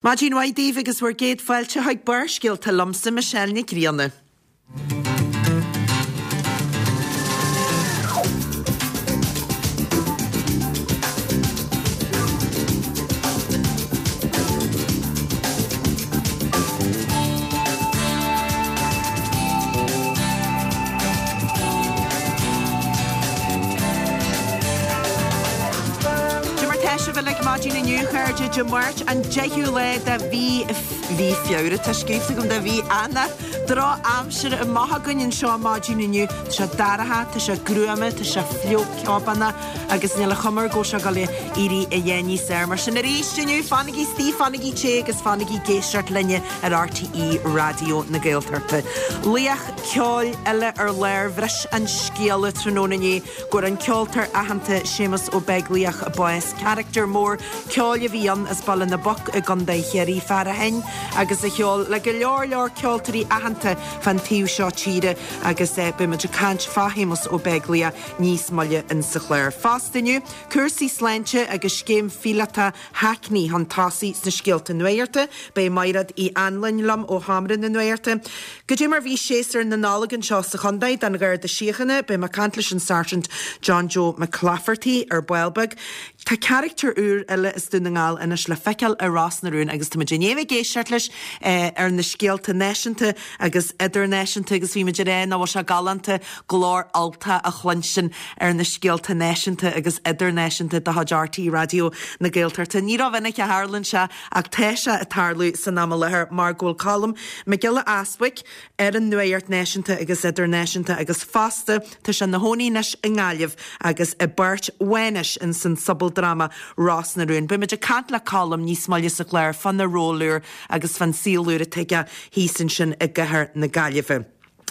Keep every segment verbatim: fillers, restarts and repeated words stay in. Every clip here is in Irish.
Maidin mhaith daoibh agus bhur gcéad fáilte chuig Barrscéalta liomsa Michelle Nic Grianna. Cad é mar tá sibh uilig maidin inniu, a chairde, Dé Máirt an deichiú lá de mhí mhí Feabhra, tá scríofa agam de mhí Eanáir. Drochaimsir amach againn anseo maidin inniu. Tá sé dorcha, tá sé gruama, tá sé fliuch ceobánach agus níl a chuma air go bhfuil sé ag dul a éirí a dhath níos fearr. Mar sin arís inniu, fanaigí istigh, fanaigí te agus fanaigí ag éisteacht linne ar RTÉ Raidió na Gaeltachta. Laoch ceoil eile ar lár bhris an scéala tráthnóna inné go bhfuair an ceoltóir aitheanta Séamus Ó Beaglaoich bás. Carachtar mór ceoil a bhí ann as Baile na bPoc i gContae Chiarraí fear a sheinn agus a cheol le go leor leor ceoltóirí aitheanta fan taobh seo tíre agus eh, beimid ag caint fá Shéamus Ó Beaglaoich níos moille insa chlár. Fosta inniu, cúrsaí sláinte agus scéim phíolótach Hackney chun tosaigh sna scéalta nuachta, beidh Mairéad Uí Anluain liom ó Sheomra na Nuachta. Cad é mar bhí séasúr na Nollag anseo sa chontae don Gharda Síochána, beidh mé ag caint leis an Sergeant John Joe McClafferty ar ball beag. Tá carachtar úr eile as Dún na nGall anois le feiceáil i Ros na Rún agus táimid i ndiaidh ag éisteacht leis eh, ar na scéalta náisiúnta agus idirnáisiúnta agus bhí muid ag rá nach bhfuil sé galánta glór Ultach a chluinstin ar na scéalta náisiúnta agus idirnáisiúnta de chuid RTÉ Raidió na Gaeltachta. Ní rómhinic a tharlaíonn sé ach tá sé ag tarlú san am i láthair mar go bhfuil Colm Mac Giolla Easbuig ar an nuacht náisiúnta agus idirnáisiúnta agus fosta tá sé ina chónaí anois i nGaillimh agus i bpáirt Mhánais in san sobaldráma Ros na Rún. Beimid ag caint le Colm níos moille sa chlár fána ról úr agus fán saol úr atá aige thíos ansin i gcathair na Gaillimhe.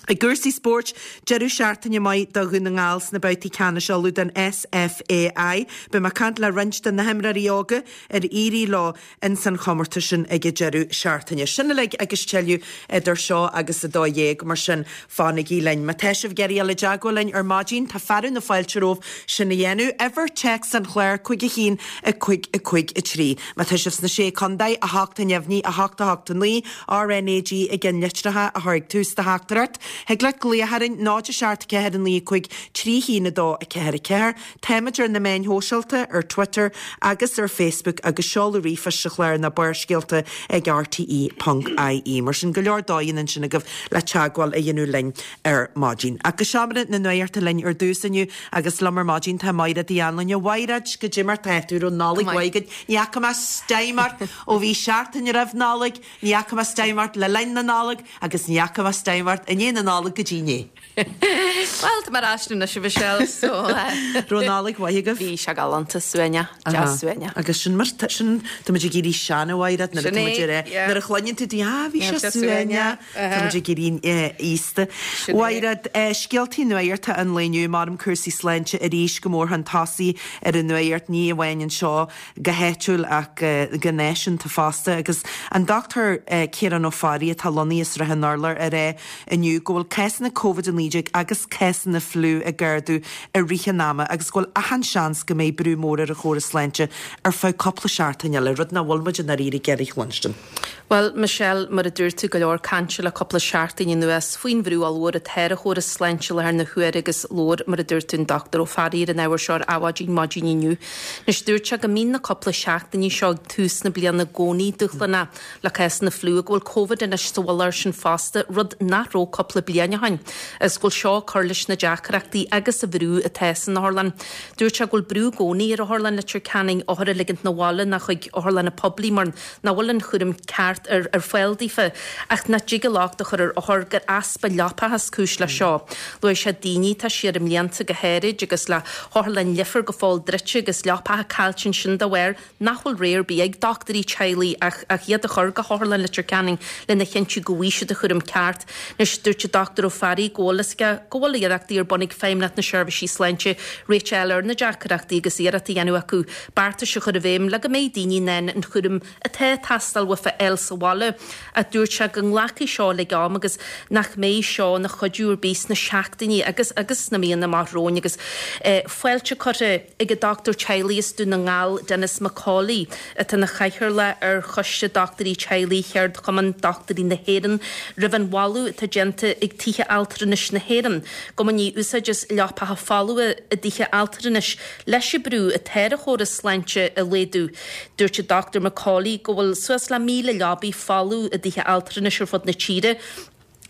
I gcúrsaí spóirt, deireadh seachtaine maith do Dhún na nGall sna babhtaí ceannais Uladh den SFAI, Beidh mé ag caint le roinnt de na himreoirí óga ar éirigh leo in san chomórtas sin ag an deireadh seachtaine. Sin uilig agus tuilleadh idir seo agus a dó dhéag mar sin fanaigí linn. Má tá sibh ag iarraidh dul i dteagmháil linn ar maidin tá fearadh na fáilte romhaibh sin a dhéanamh. Uimhir téacs an chláir cúig a haon a cúig a cúig a trí. Má tá sibh sna sé chontae a hocht a neamhní a hocht a hocht a naoi RNAG i gceannlitreacha a chur ag tús do theachtaireacht. Thig leat glaoch orainn náid a seacht ceathair a naoi cúig trí haon a dó a ceathair a ceathair. Táimid ar na meáin shóisialta ar Twitter agus ar Facebook agus seoladh ríomhphoist sa chlár ná barrscéalta ag RTE.ie. Mar sin go leor dóigheanna ansin agaibh le teagmháil a dhéanamh linn ar maidin. Ach go seomra na nuachta linn ar dtús inniu agus liom ar maidin tá Mairéad Uí Anluain. A Mhairéad cad é mar tá tú raibh Nollaig mhaith agat. Ní fhaca mé stime ort ó bhí seachtain roimh Nollaig, ní fhaca mé stime ort le linn na Nollag agus ní fhaca mé stime ort i ndiaidh na Nollag go dtí inné. Well tá mar asú na si Michelle so Raibh Nollaig mhaith agaibh? Bhí sé galánta suaimhneach deas suaimhneach. Agus sin mar sin tá muid ag éirí sean a Mhairéad nuair Sin atá muid é, ar é. yeah. Nuair a chluineann tú di ah bhí sé sé suaimhneach Tá muid ag éirí aosta. Sin é. Mhairéad scéaltaí nuachta an lae inniu mar cúrsaí sláinte arís go mór chun tosaigh ar an nuacht ní amháin anseo go háitiúil ach go náisiúnta fosta agus an Dr Ciarán Ó Fearraigh atá lonnaithe i Srath an Urláir ar é inniu go bhfuil cásanna COVID a naoi déag agus cásanna fliú ag ardú i rith an ama agus go bhfuil achan seans go mbeidh brú mór ar an chóras sláinte ar feadh cúpla seachtain eile, rud nach bhfuil muid in airí ag iarraidh a chluinstin. Well Michelle mar a dúirt tú go leor cainte le cúpla seachtain anuas faoin bhrú ollmhór atá ar an chóras sláinte i láthair na huaire agus labhair mar a dúirt tú an Dr Ó Fearraigh ar an ábhar seo ar Adhmhaidin maidin inniu. Anois dúirt sé go mbíonn na cúpla seachtainí seo ag tús na bliana i gcónaí dúshlánach le cásanna fliú go bhfuil COVID anois sa mhullach air sin fosta rud nach raibh cúpla bliain ó shin agus go bhfuil seo ag cur leis na deacrachtaí agus an bhrú atá san otharlann. Dúirt sé go bhfuil brú i gcónaí ar Otharlann Leitir Ceanainn othair a ligint 'na bhaile ná chuig otharlanna poiblí mar nach bhfuil an chúram ceart ar ar fáil daofa ach nach dtig an locht a chur ar othair gur easpa leapacha is cúis le seo. Luaigh sé daoine atá siar i mblianta go háirid agus le hOtharlann Leifear go fóill druidte agus leapacha caillte ansin dá bharr nach bhfuil rogha ar bith ag dochtúirí teaghlaigh ach ach iad a chur go hOtharlann Leitir Ceanainn lena chinntiú go bhfaighidh siad an chúram ceart. Anois dúirt an Dr Ó Fearraigh go bhfuil go bhfuil iarrachtaí ar bun ag Feidhmeannacht na Seirbhísí Sláinte réiteach a fháil ar na deacrachtaí agus iarracht a dhéanamh acu beartais a chur i bhfeidhm le go mbeidh daoine in ann an chúram atá ag teastáil uafa a fháil sa bhaile. Ach dúirt sé go nglacfaidh seo le am agus nach mbeidh seo ina chuidiú ar bith sna seachtainí agus agus sna míonna amach romhainn agus fáilte curtha ag an dochtúir teaghlaigh as Dún na nGall, Denis McCauley, atá ina chathaoirleach ar Choiste Dochtúirí Teaghlaigh Cheardchumann Dochtúirí na hÉireann, roimh an mholadh atá déanta ag Tithe Altranais na hÉireann go mbainfí úsáid as leapacha folmha i dtithe altranais leis an brú atá ar an chóras sláinte a laghdú. Dúirt an Dochtúir McCauley go bhfuil suas le míle leabaidh folamh i dtithe altranais ar fud na tíre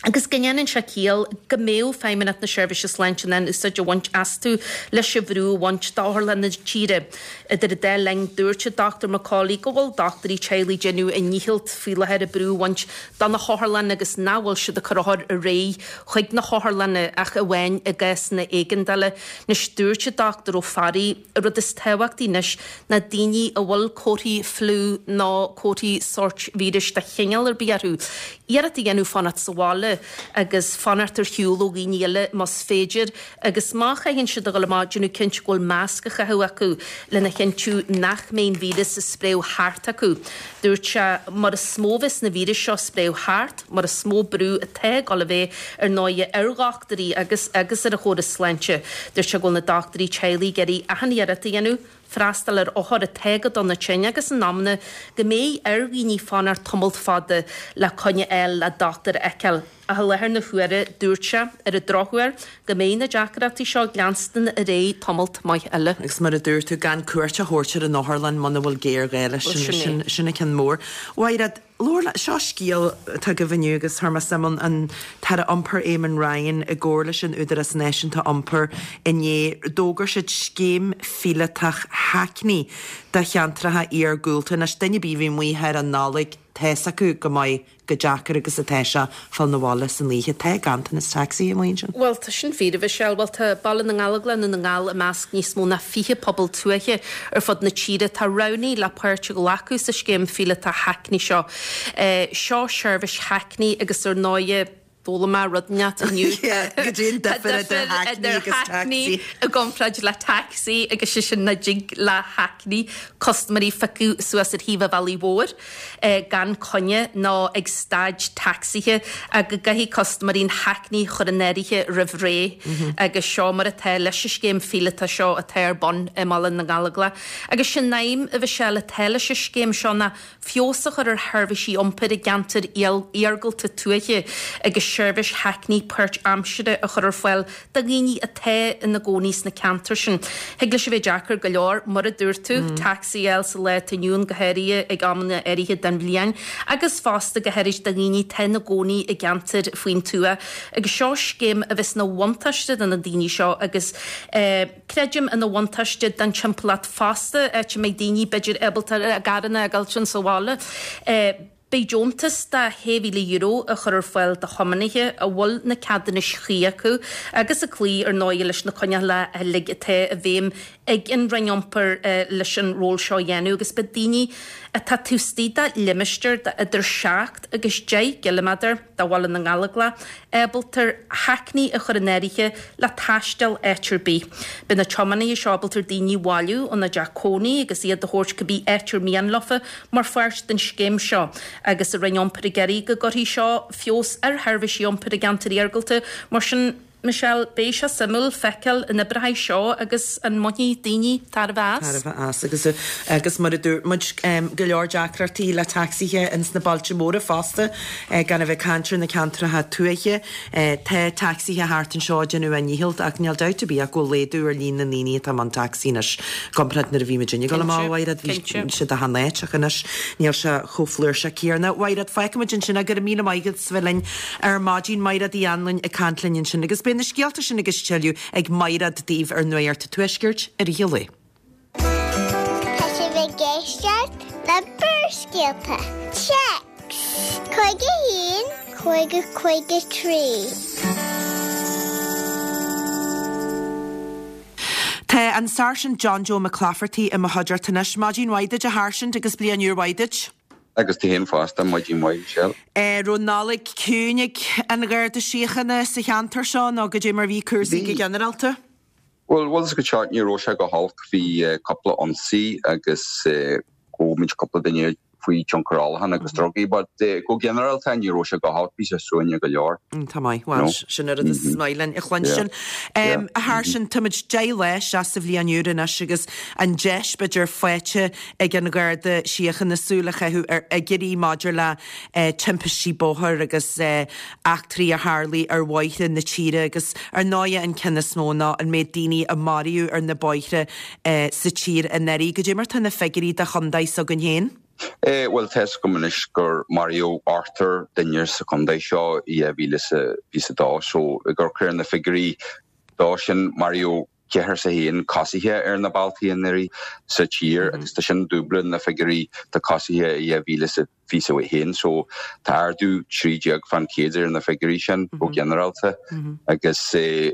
agus go ndéanann sé ciall go mbeadh Feidhmeannacht na Seirbhíse Sláinte in ann úsáid a bhaint astu leis an bhrú a bhaint d'otharlanna na tíre. Idir an dá linn, dúirt an Dochtúir McCauley go bhfuil dochtúirí teaghlaigh ag déanamh a ndícheall faoi láthair an brú a bhaint de na hotharlanna agus nach bhfuil siad ag cur othair ar aghaidh chuig na hotharlanna ach amháin i gcásanna éigeandála. Anois dúirt an Dochtúir Ó Fearraigh, an rud is tábhachtaí anois ná daoine a bhfuil comharthaí fliú nó comharthaí sóirt víris de chineál ar bith orthu, iarracht a dhéanamh fanacht sa bhaile agus fanacht ar shiúl ó dhaoine eile más féidir agus má chaitheann siad a dhul amach, déanamh cinnte go bhfuil masc á chaitheamh acu lena chinntiú nach mbeidh an víreas ag spréadh thart acu. Dúirt sé, mar is mó a bheas na víris seo ag spréadh thart, mar is mó brú atá ag dul a bheith ar ndóighe ar dhochtúirí agus agus ar an chóras sláinte. Dúirt sé go bhfuil na dochtúirí teaghlaigh ag iarraidh achan iarracht a dhéanamh freastal ar othair atá go dona tinn agus in amanna go mbeidh ar dhaoine fanacht tamalt fada le coinne a fháil le dochtúir a fheiceáil. Ach i láthair na huaire, dúirt sé, ar an drochuair, go mbeidh na deacrachtaí seo ag leanstan ar aghaidh tamalt maith eile. Agus mar a dúirt tú, gan cuairt a thabhairt ar an otharlann muna bhfuil géarghá leis, sin sin an ceann mór. Mhaighread, labhair, seo scéal atá agaibh inniu agus chuir mé suim ann, an tAire Iompair Eamon Ryan i gcomhar leis an Údarás Náisiúnta Iompair inné, d'fhógair siad scéim phíolótach hackney do cheantracha iargúlta. Anois, duine ar bith a bhí amuigh thar an Nollaig, tá's acu go maith chomh deacair agus atá sé fáil 'na bhaile san oíche. Tá ganntanas tacsaí amuigh ansin. Bhuel, tá sin fíor, a Mhichelle. Bhuel, tá Baile na nGallóglach i nDún na nGall i measc níos mó ná fiche pobal tuaithe ar fud na tíre atá roghnaithe le páirt a ghlacadh sa scéim phíolótach hackney seo. Seo seirbhís hackney agus ar ndóighe, d'fhoghlaim mé rud inteacht inniu. Cad é an Tá difear idir difear hackney idir agus hackney taxi. i gcomparáid le taxi agus sé sin nach dtig le hackney custaiméirí a phiocadh suas ar thaobh an bhealaigh mhóir gan coinne nó ag staid tacsaithe ach go gcaithfidh custaiméirí an hackney a chur in áirithe roimh ré agus seo mar atá leis an scéim phíolótach seo atá ar bun i mBaile na nGallóglach. Agus sé'n aidhm, a Mhichelle, atá leis an scéim seo ná feabhas a chur ar sheirbhísí iompair i gceantair iargúlta tuaithe agus seirbhís hackney páirtaimseartha a chur ar fáil do dhaoine atá ina gcónaí sna ceantair sin. Thig leis a bheith deacair go leor, mar a dúirt tú, tacsaí a fháil sa lá atá inniu ann, go háirithe ag amanna áirithe den bhliain, agus fosta go háirid do dhaoine atá ina gcónaí i gceantair faoin tuath. Agus seo scéim a bheas ina bhuntáiste do na daoine seo agus creidim ina bhuntáiste don timpeallacht fosta, áit a mbeidh daoine b'fhéidir ábalta a gcarranna a fhágáilt sa bhaile. Beidh deontas de shé mhíle euro á chur ar fáil do thiománaithe a bhfuil na ceadúnais chuí acu agus ag cloí ar ndóigh leis na coinníollacha uilig atá i bhfeidhm ag an Roinn Iompair leis an ról seo a dhéanamh agus beidh daoine atá taobh istigh de limistéar de idir seacht agus deich gciliméadar de Bhaile na nGallóglach ábalta hackney a chur in áirithe le taisteal áit ar bith. Beidh na tiománaithe seo ábalta daoine a bhailiú óna dteach cónaí agus iad a thabhairt cibé áit ar mian leofa mar pháirt den scéim seo agus an Roinn Iompair ag iarraidh go gcuirfidh seo feabhas ar sheirbhísí iompair i gceantair iargúlta. Mar sin, Michelle, beidh sé suimiúil feiceáil an oibreoidh seo agus an mbainfidh daoine tairbhe as. Tairbhe as agus agus mar a dúirt muid, go leor deacrachtaí le tacsaithe ins na bailte móra fosta, gan a bheith ag caint ar na ceantracha tuaithe. Tá tacsaithe thart anseo ag déanamh a ndícheall ach níl dabht ar bith ach go bhfuil laghdú ar líon na ndaoine atá i mbun tacsaí anois i gcomparáid nuair a bhí muid ag dul amach, a Mhaighread, bhí siad achan áit ach anois níl sé chomh flúirseach céanna. Mhaighread, fágfaidh muid ansin é, go raibh míle maith agat as bheith linn ar maidin. Maighread Uí Anluain ag caint linn ansin agus beidh na scéalta sin agus tuilleadh ag Maighread daoibh ar Nuacht an Tuaiscirt i rith an lae. Tá sibh ag éisteacht le Barrscéalta. Téacs cúig a haon, cúig a cúig a trí. Tá an Sáirsint John Joe McClafferty i mo chuideachta anois. Maidin mhaith duit, a Sháirsint, agus bliain úr mhaith duit. Agus duit féin fosta, maidin mhaith, Michelle. Raibh Nollaig ciúin ag an Gharda Síochána sa cheantar seo nó goidé mar bhí cúrsaí go ginearálta? Bhuel, bhuel, go seo ní raibh sé go holc, bhí cúpla ionsaí agus ghabh muid cúpla duine faoi tionchar ólacháin agus drugaí, but go ginearálta ní raibh sé go holc, bhí sé suaimhneach go leor. Tá maith, bhuel, sin an rud is maith linn a chluinstin. A Sheáirsín, táimid deich lá isteach sa bhliain úr anois agus an deis b'fhéidir faighte ag an Gharda Síochána súil a chaitheamh ar fhigiúirí maidir le timpistí bóthair agus eachtraí a tharlaigh ar bhóithre na tíre agus ar ndóigh an ceann is mó ná an méid daoine a maraíodh ar na bóithre sa tír anuraidh. Goidé mar tá na figiúirí do chontae s'againn féin? Eh, bhuel tá a fhios agam anois gur maraíodh ochtar duine sa chontae seo i dhá mhíle is a fiche a dó so ag amharc ar na figiúirí dó sin maraíodh ceathrar is a haon coisithe ar na bealtaí anuraidh sa tír agus tá sin dúbla na figiúirí do coisithe i dhá mhíle is a fiche a haon so tá ardú trí déag fan chéad ar na figiúirí sin go ginearálta agus eh,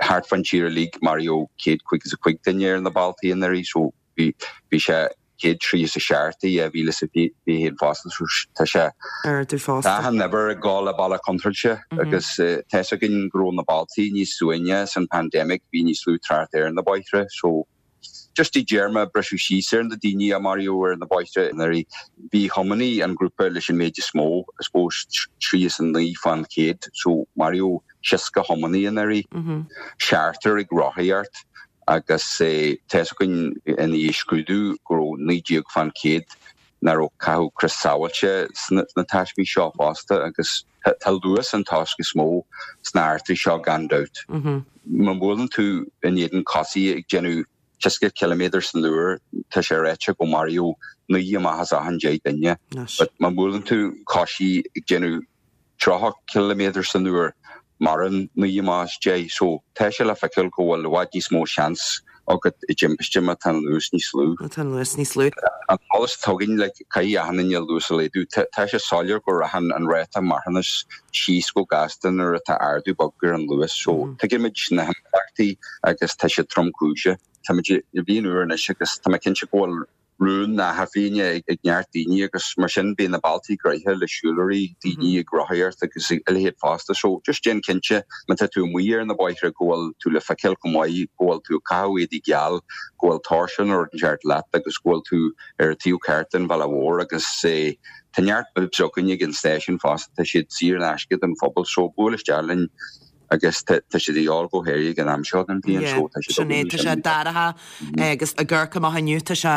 thart fan tír uilig maraíodh céad caoga is a cúig duine ar na bealtaí anuraidh so bhí bhí sé céad tríocha is a seacht i dhá mhíle is a fiche a haon fosta so tá sé Ardú fosta. Tá an uimhir ag dul le bealach contúirteach agus eh, tá a fhios againn go raibh na bealtaí níos suaimhní san pandemic bhí níos lú trácht ar na bóithre so just i dtéarma briseadh síos ar na daoine a maraíodh ar na bóithre anuraidh bhí tiománaí an grúpa leis an méid is mó I suppose trí is a naoi fan chéad so maraíodh seasca tiománaí anuraidh seachtar ag rothaíocht agus eh, tá a fhios againn ina dhiaidh scrúdú go raibh naoi déag fan chéad nach raibh ag caitheamh crios sábháilte sna sna taismí seo fosta agus tá tá luas an toisc is mó sna heachtraí seo gan dabht. Má bhuaileann tú in éadan coisí ag déanamh seasca ciliméadar san uair tá sé ráite go maraíodh naoi amach as achan deich duine. But má bhuaileann tú coisí ag déanamh tríocha ciliméadar san uair maireann naoi amach as deich so tá sé le feiceáil go bhfuil i bhfad níos mó seans agat i dtimpiste má tá an luas níos lú. Má tá an luas níos lú. An t-eolas atá againn le caithfidh achan duine luas a laghdú. Tá sé soiléir go rachann an ráta marthanais síos go gasta nuair atá ardú beag ar an luas so tuigimid na himpleachtaí agus tá sé tromchúiseach. Táimid i bhliain úr anois agus tá mé cinnte go bhfuil rún na hathbhliana ag neart daoine agus mar sin bíonn na bealtaí gnoitheach le siúlóirí, daoine ag rothaíocht agus a leithéid fosta. So just déan cinnte má tá tú amuigh ar na bóithre go bhfuil tú le feiceáil go maith, go bhfuil tú ag caitheamh éadaí geal, go bhfuil tóirse nó rud inteacht leat agus go bhfuil tú ar an taobh ceart den bhealach mhór agus eh, tá neart bibs againn ag an stáisiún fosta, tá siad saor in aisce don phobal so buail isteach linn agus tá siad a dhíobháil go háirithe ag an am seo den bhliain so tá siad Sin é, tá sé dorcha agus ag amharc amach inniu tá sé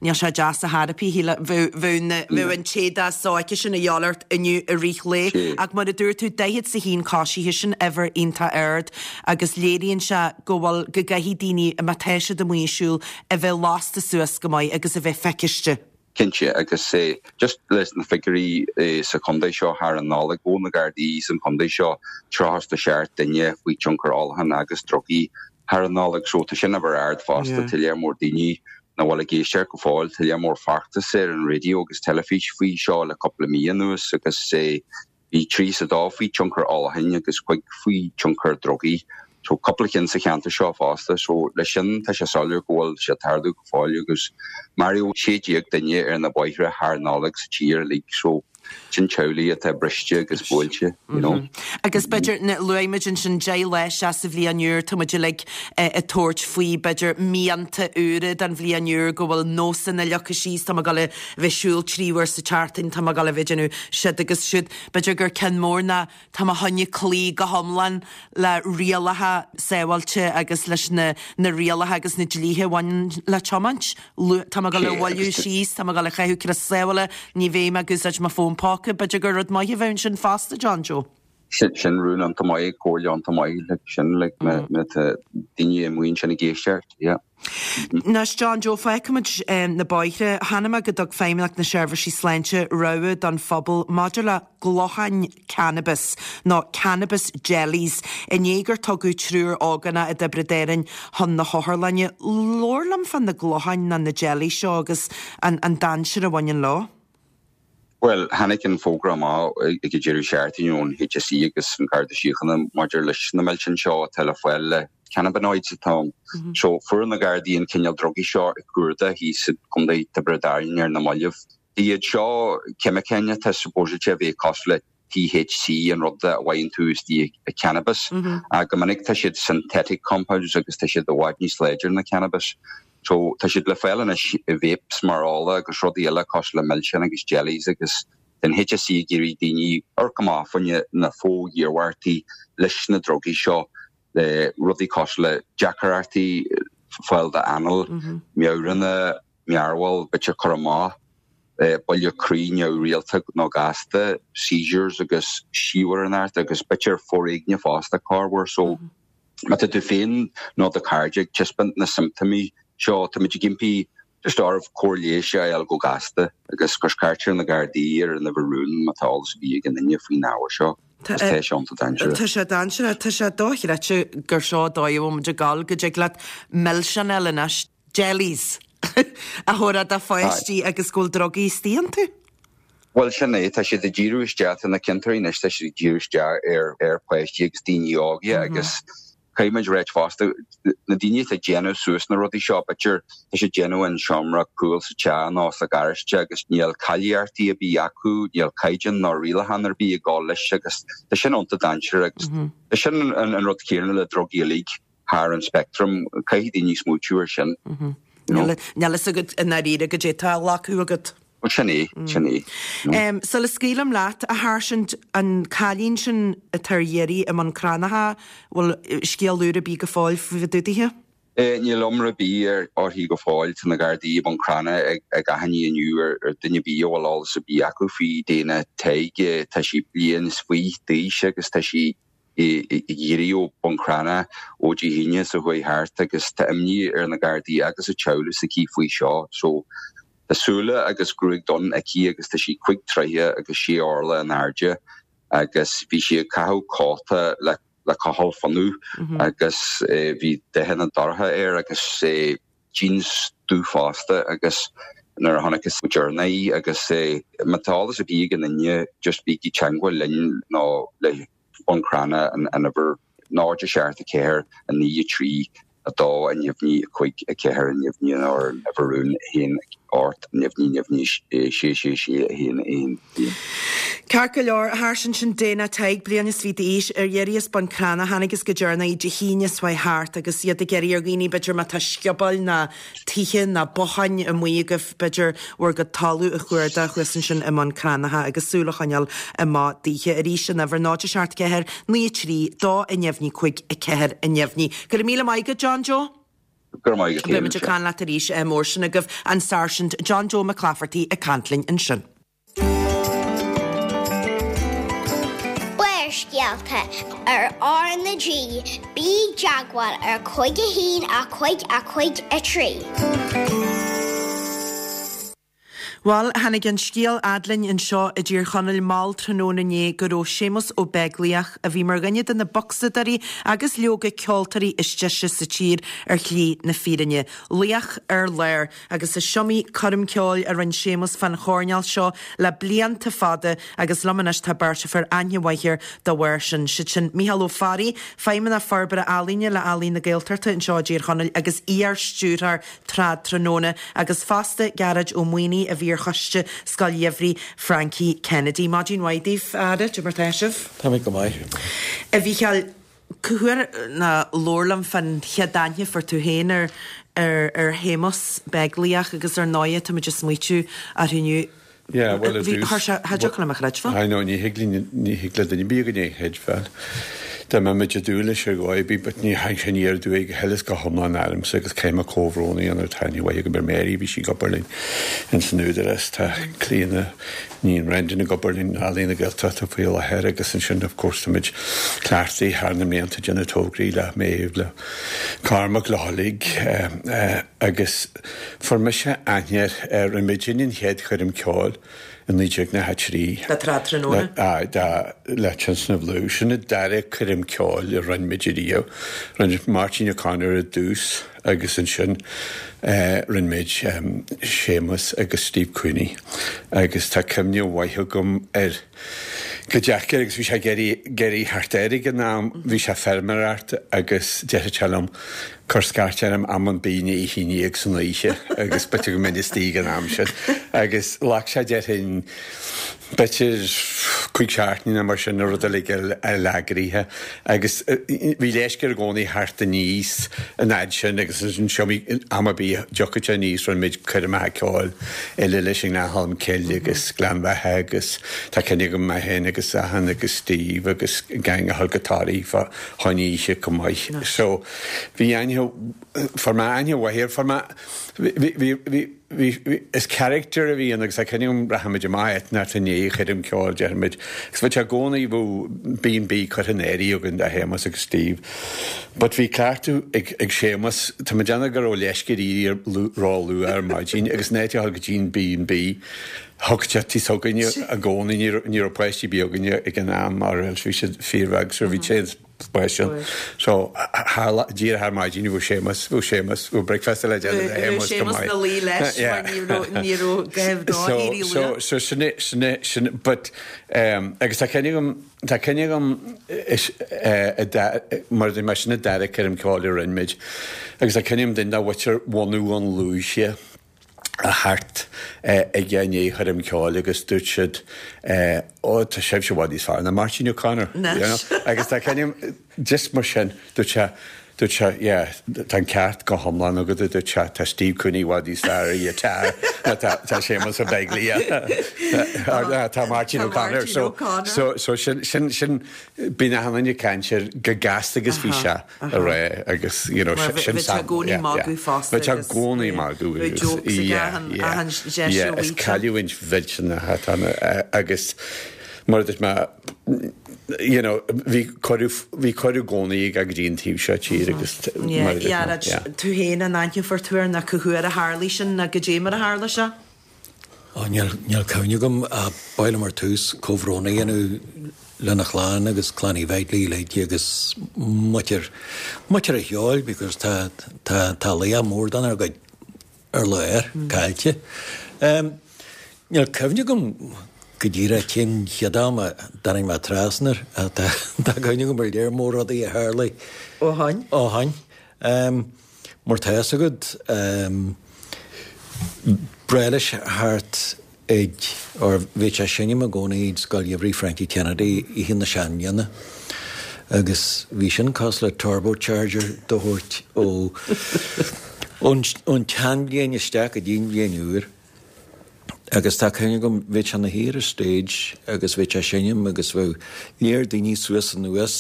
níl sé deas ar chor ar bith bheadh an t-éadach sóite sin a dhíobháil ort inniu i rith lae ach mar a dúirt tú daichead is a haon coisithe sin uimhir iontach ard agus léiríonn sé go bhfuil go gcaithfidh daoine má tá siad amuigh ag siúl a bheith lasta suas go maith agus a bheith feiciste. Cinnte agus eh, just leis na figiúirí eh, sa chontae seo thar an Nollaig ghabh na Gardaí san chontae seo tríocha a seacht duine faoi tionchar ólacháin agus drugaí thar an Nollaig so tá sin uimhir ard fosta tá lear mór daoine nach bhfuil ag éisteacht go fóill tá lear mór feachtas ar an raidió agus teilifís faoi seo le cúpla mí anuas agus eh, bhí trí is a dó faoi tionchar ólacháin agus cúig faoi tionchar drugaí. So cúpla cinn sa cheantar seo fosta, so leis sin tá sé soiléir go bhfuil sé ag tarlú go fóill agus maraíodh sé déag duine ar na bóithre thar Nollaig sa tír uilig so sin teaghlaigh atá briste agus buailte, you know. Agus b'fhéidir luaigh muid ansin deich lá isteach sa bhliain úr tá muid uilig ag tabhairt faoi b'fhéidir mianta úra don bhliain úr go bhfuil nósanna leagtha síos tá mé ag dul a bheith ag siúl trí uair sa tseachtain tá mé ag dul a bheith ag déanamh siod agus siúd b'fhéidir gur ceann mór ná tá mé chun cloí go hiomlán le rialacha sábháilte agus leis na na rialacha agus na dlíthe a bhaineann le tiomáint. Tá mé ag dul a mhoilliú síos, tá mé ag dul a chaitheamh crios sábhála, ní bheidh mé ag úsáid mo fón póca, b'fhéidir gur rud maith a bheith sin fosta John Joe. Sin sin rún iontach maith comhairle iontach maith like sin like má má tá daoine amuigh ansin ag éisteacht, yeah. Anois John Joe fágfaimid na bóithre, chonaic mé go dtug Feidhmeannacht na Seirbhísí Sláinte rabhadh don phobal maidir le glóthain cannabis nó cannabis jellies i ndiaidh gur tugadh triúr ógánach i dTiobraid Árann chun na hotharlainne. Labhair liom fá na glóthain nó na jellies seo agus an, an dainséar a bhaineann leo. Well, tháinig an fógra amach ag an deireadh seachtaine ón HSE agus an Garda Síochána maidir leis na milseáin seo atá le fáil le cannabinoids atá ann. So fuair na Gardaí an cineál drugaí seo ag cuardach thíos i gContae Tiobraid Árann ar na mallaibh. Iad seo ceimiceáin atá supposedly a bheith cosúil le THC an rud a bhfaigheann tú istigh i cannabis. Mm -hmm. Go minic tá siad synthetic compounds agus tá siad i bhfad níos láidre ná cannabis. So tá siad le fáil anois i vapes mar ola agus rudaí eile cosúil le milseáin agus jellies agus tá an HSE ag iarraidh daoine amharc amach fá choinne na fo-iarmhairtí leis na drugaí seo le rudaí cosúil le deacrachtaí fáil d'anáil, meabhranna, mearbhall, b'fhéidir cur amach, buille croí neamhrialta nó gasta, seizures agus siabharanacht agus b'fhéidir foréigne fosta corruair. So má tá tú féin nó do chairde ag taispeáint na siomptómaí seo, táimid ag impí just oraibh cóir leighis a fháil go gasta agus cuir scairt ar na Gardaí ar an uimhir rúin má tá eolas ar bith ag aon duine faoin ábhar seo. Tá sé iontach dainséarach. Tá sé dainséarach. Tá sé dochreidte gur seo dóigh a bhfuil muid ag gabháil go dtig leat milseáin a fháil anois, jellies, a thabharfá do pháistí agus go bhfuil drugaí istigh iontu. Bhuel sin é, tá siad ag díriú isteach, tá na ciontóirí anois, tá siad ag díriú isteach ar ar pháistí agus daoine óga agus caithfidh muid ráit fosta, na daoine atá ag déanamh suas na rudaí seo, b'fhéidir tá siad ag déanamh in seomra cúil sa teach nó sa gharáiste agus níl cáilíochtaí ar bith acu, níl caighdeán ná rialachán ar bith ag gabháil leis agus tá sin iontach dainséarach agus tá sin an rud céanna le drugaí uilig thar an speictream, caithfidh daoine smaoitiú ar sin. Níl a fhios agat i ndáiríre goidé atá á ghlacadh agat. Bhuel sin é, sin é. Sula scaoilim leat, a Sháirsint, an cailín sin atá ar iarraidh i mBun Cranncha, bhfuil scéal úr ar bith go fóill fá dtaobh dithe? Níl iomrá ar bith uirthi go fóill. Tá na Gardaí i mBun Cranncha ag achainí inniu ar dhuine ar bith a bhfuil eolas ar bith acu faoi Dana Tighe. Tá sí bliain is fiche d'aois agus tá sí ag iarraidh ó Bhun Cranncha ó Dé hAoine seo chuaigh thart agus tá imní ar na Gardaí agus a teaghlach s'aici faoi seo. So tá súile agus gruaig donn aici agus tá sí cúig troithe agus sé orla in airde agus bhí sí ag caitheamh cóta le le cochall fionnaidh agus bhí dathanna dorcha air agus jeans dubh fosta agus nuair a chonacthas go deireanach í agus má tá eolas ar bith ag aon duine just bígí i dteangmháil linn nó le Bun Cranncha an uimhir náid a seacht a ceathair a naoi a trí a dó a neamhní a cúig a ceathair a neamhní nó ar an uimhir rúin a haon ocht neamhní neamhní sé sé sé a haon aon aon. Ceart go leor, a Sháirsint, sin Dana Tighe, bliain is fiche d'aois, ar iarraidh as Bun Cranncha, thángthas go deireanach í Dé hAoine seo chuaigh thart agus iad ag iarraidh ar dhaoine b'fhéidir má tá sciobóil ná tithe ná botháin amuigh agaibh b'fhéidir bhur gcuid talamh a chuardach thuas ansin i mBun Cranncha agus súil a choinneáil amach daoithe. Arís an uimhir náid a seacht ceathair, naoi a trí, dó a neamhní cúig a ceathair a neamhní. Go raibh míle maith agat John Joe. Go raibh maith agat Beidh muid ag caint leat arís mór sin agaibh an Sáirsint John Joe Mac Laifeartaigh ag caint linn ansin. Barrscéalta ar R na G, bí i dteagmháil ar cúig a haon a cúig a cúig a trí. Bhuel, tháinig an scéal fhad linn anseo i dTír Chonaill mall tráthnóna inné go raibh Séamus Ó Beaglaoich, a bhí mar dhuine de na bocsadóirí agus leoga ceoltóirí is deise sa tír, ar shlí na fírinne. Laoch ar lár, agus is iomaí coirm ceoil a rinne Séamus fán choirnéal seo le blianta fada agus liom anois tá beirt a fuair aithne mhaith air dá bharr sin, siad sin Mícheál Ó Fearraigh, Feidhmeannach Forbartha Ealaíne le Ealaín na Gaeltachta anseo i dTír Chonaill agus iar-stiúrthóir Trad Tráthnóna agus fosta Gearóid Ó Maonaigh a bhí ar choiste Scoil Gheimhridh Frankie Kennedy. Maidin mhaith daoibh, a fheara, cad é mar tá sibh? Tá mé go maith. A Mhícheáil, cá huair ná labhair liom fán chéad aithne a fuair tú féin ar ar ar Shéamus Beaglaoich agus ar ndóighe tá muid ag smaoitiú orthu inniu. Yeah, well, Bhí, chuir sé, cha dtiocfadh liom a chreidbheáil. I know, ní thig linn, ní thig le duine ar bith againn é a chreidbheáil. Dá mbeadh muid ag dúil leis ar dhóigh ar bith, but ní thagann sé aniar aduaidh go huile is go hiomlán ormsa agus caithfidh mé comhbhrón a dhéanamh tá aithne mhaith agam ar Mary, bhí sí ag obair linn ins an Údarás, tá Clíona ní Brendan ag obair linn in Ealaín na Gaeltachta faoi láthair agus ansin of course tá muid cleachtaithe thar na mblianta ag déanamh tograí le Maeve, le Cormac, le huilig agus fuair mise aithne air, rinne muidinne an chéad choirm ceoil i naoi déag nócha a trí. Le Trad Tráthnóna? Le, aye, le Tionscnamh Lú. Sin an dara coirm ceoil a rinne muid ariamh. Rinne Máirtín O'Connor i dtús agus ansin rinne muid Séamus agus Steve Cooney agus tá cuimhne mhaith agam air go deacair agus bhí sé ag éirí ag éirí thart air ag an am, bhí sé ag feirmeoireacht agus deireadh sé liom cuir scairt orm am ar bith i ndiaidh a haon déag san oíche agus b'fhéidir go mbeinn istigh ag an am sin agus ghlac sé déarfainn b'fhéidir cúig seachtaine nó mar sin na rud uilig eagraithe agus bhí leisce i gcónaí thart aníos an fhad sin agus an seo am ar bith a dtiocfadh sé aníos rinne muid coirmeacha ceoil eile leis an nGleann Cholm Cille agus Gleann Bheatha agus tá cuimhne agam mé féin agus Seán agus Steve agus gang a thug go Toraí fá choinne oíche chomh maith. So bhí aithne fuair mé aithne mhaith air fuair mé bhí bhí bhí bhí is character a bhí ann agus tá cuimhne agam rachaimid amach eitneacht i ndiaidh choirm ceoil déarfaimid agus bheadh sé i gcónaí bheadh B and B curtha in áirithe againn do Shéamus agus Steve. But bhí cleachtadh ag ag Séamus tá mé ag déanamh go raibh leisce air éirí ró-luath ar maidin agus in áit a dhul go dtí an B and B thug sé tí s'againne i gcónaí ní raibh ní raibh páistí ar bith againne ag an am mar bhí siad fíorbheag so bhí sé Question. So díreach ar maidin bhí Séamus bhí Séamus bhí breakfast le déanamh le Séamus go maith. na luí leis mar ní raibh ní raibh gaibh dá éirí So so sin sin sin but um, agus tá cuimhne agam tá cuimhne agam is eh, mar mar sin a dara coirm ceoil a rinne muid agus tá cuimhne agam duine dá mhuintir bhunadh an Lúise a theacht aige i ndiaidh choirm ceoil agus dúirt siad ó tá sibhse i bhfad níos fearr ná Máirtín O'Connor you know agus tá cuimhne agam just mar sin dúirt sé dúirt sé yeah tá an ceart go hiomlán agat dúirt sé tá Steve Cooney i bhfad níos fearr ar ghiotár ná tá tá Séamus Ó Beaglaoich tá Máirtín O'Connor so so so sin sin sin bíonn achan duine ag caint air go gasta agus bhí sé a rá agus you know sin Bhí sé i gcónaí magadh fosta Bhí sé i gcónaí magadh agus yeah yeah yeah is cailliúint mhillteanach atá ann agus mar a dúirt mé you know bhí cuireadh bhí cuireadh i gcónaí aige go dtí an taobh seo tíre agus mar a dúirt mé yeah. Tú féin an aithneofar tú air ná cá huair a tharlaigh sin ná goidé mar a tharla sé? Ó níl níl cuimhne agam ach ba mhaith liom ar tús comhbhrón a dhéanamh lena chlann agus clann Uí Bheaglaoich uilig agus muintir muintir an cheoil because tá tá tá laoch mór dár gcuid ar lár caillte. Níl cuimhne agam go díreach cén chéad am a dtáinig mé trasna air ach tá tá cuimhne agam ar lear mór rudaí a tharlaigh Ó shoin? Ó shoin. Mar tá fhios agat breá leis thart ag, or bhíodh sé ag seinm i gcónaí ag Scoil Gheimhridh Frankie Kennedy Oíche na Seanbhliana agus bhí sin cosúil le turbocharger do thabhairt ó ón tseanbhliain isteach go dtí an bhliain úr. Agus tá cuimhne agam bhíodh sé ina shuí ar an stage agus bhíodh sé ag seinm agus bheadh léar daoine suas anuas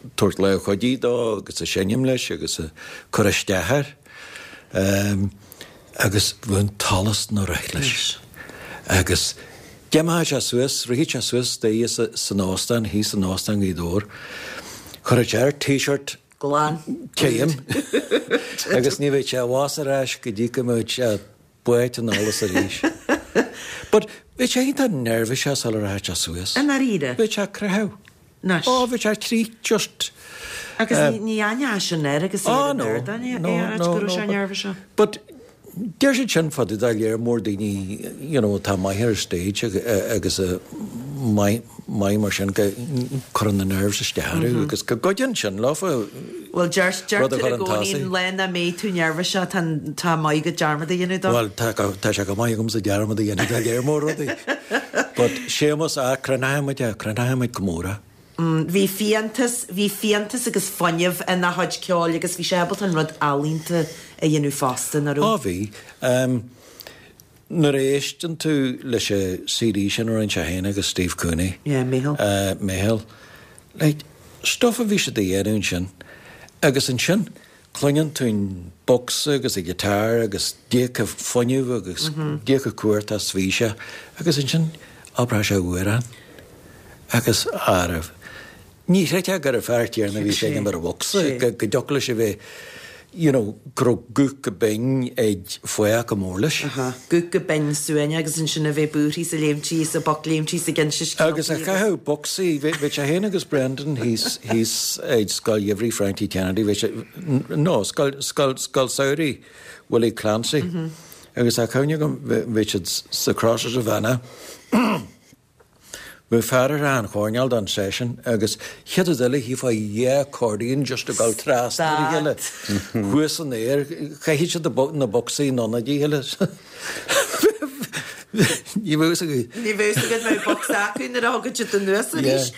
ag tabhairt lámh chuidí dó agus ag seinm leis agus ag cur isteach air. Agus bheadh an t-allas ina rith leis. Agus d'imeodh sé suas, rithfeadh sé suas staighre san óstán, thíos in Óstán Ghaoth Dobhair, chuirfeadh sé air T-shirt glan tirim agus ní bheadh sé abhus ar ais go dtí go mbeadh sé báite in allas arís. But bhí sé iontach neirbhíseach sula rachadh sé suas. I ndáiríre? Bhí sé ag croitheadh. Anois. Ó, bhí sé trí just. Agus ní aithneofá sin air agus é ar an ardán, é a ráit go raibh sé neirbhíseach. But deir siad sin fá dtaobh de léar mór daoine you know atá maith ar an stage agus maith maith mar sin go gcuireann na nerves isteach orthu agus go gcuidíonn sin leofa Bhuel deir rud a deirtear chur i chun gcónaí tosaigh. an lá nach mbeidh tú neirbhíseach tá tá maith agat dearmad a dhéanamh dó. Bhuel tá tá sé go maith agamsa dearmad a dhéanamh de léar mór rudaí. But Séamus ah cronaithe muid é cronaithe muid go mór é. Bhí fiántas, bhí fiántas agus fuinneamh ina chuid ceoil agus bhí sé ábalta an rud ealaíonta a dhéanamh fosta, nach raibh? Á bhí. Nuair a éisteann tú leis an CD sin a rinne sé féin agus Steve Cooney. Yeah, Meitheal. Meitheal. Like, stuff a bhí siad a dhéanamh ansin agus ansin cluineann tú an bocsa agus an guitar agus goidé chomh fuinneamh agus goidé chomh cumhachtach is bhí sé agus ansin abróidh sé amhrán agus arbh. Ní chreidfeá gur an fear céanna a bhí ag seinm ar an bhocsa, go dtiocfadh leis a bheith, you know, go raibh guth chomh binn ag fathach chomh mór leis. Aha, guth chomh binn suaimhneach agus ansin a bheith buartha is ag léimtí is ag bocléimtí is ag inse scéaltaí Agus ag caitheamh bocsaí, bhí bhí sé féin agus Brendan thíos thíos ag Scoil Gheimhridh Frankie Kennedy, bhí sé, no, Scoil, Scoil, Scoil Samhraidh Willie Clancy. Agus tá cuimhne agam, bhí bhí siad sa Crossroads of Annagh. Bhí fear ar an choirnéal don session agus chéad rud eile chífeá dhá accordion just ag dul trasna ar a chéile thuas san aer, chaithfeadh siad na bocsaí in ionad a chéile. Ní bheadh fhios agat. Ní bheadh fhios agat mbeadh bocsa acu nuair a thagann siad anuas arís.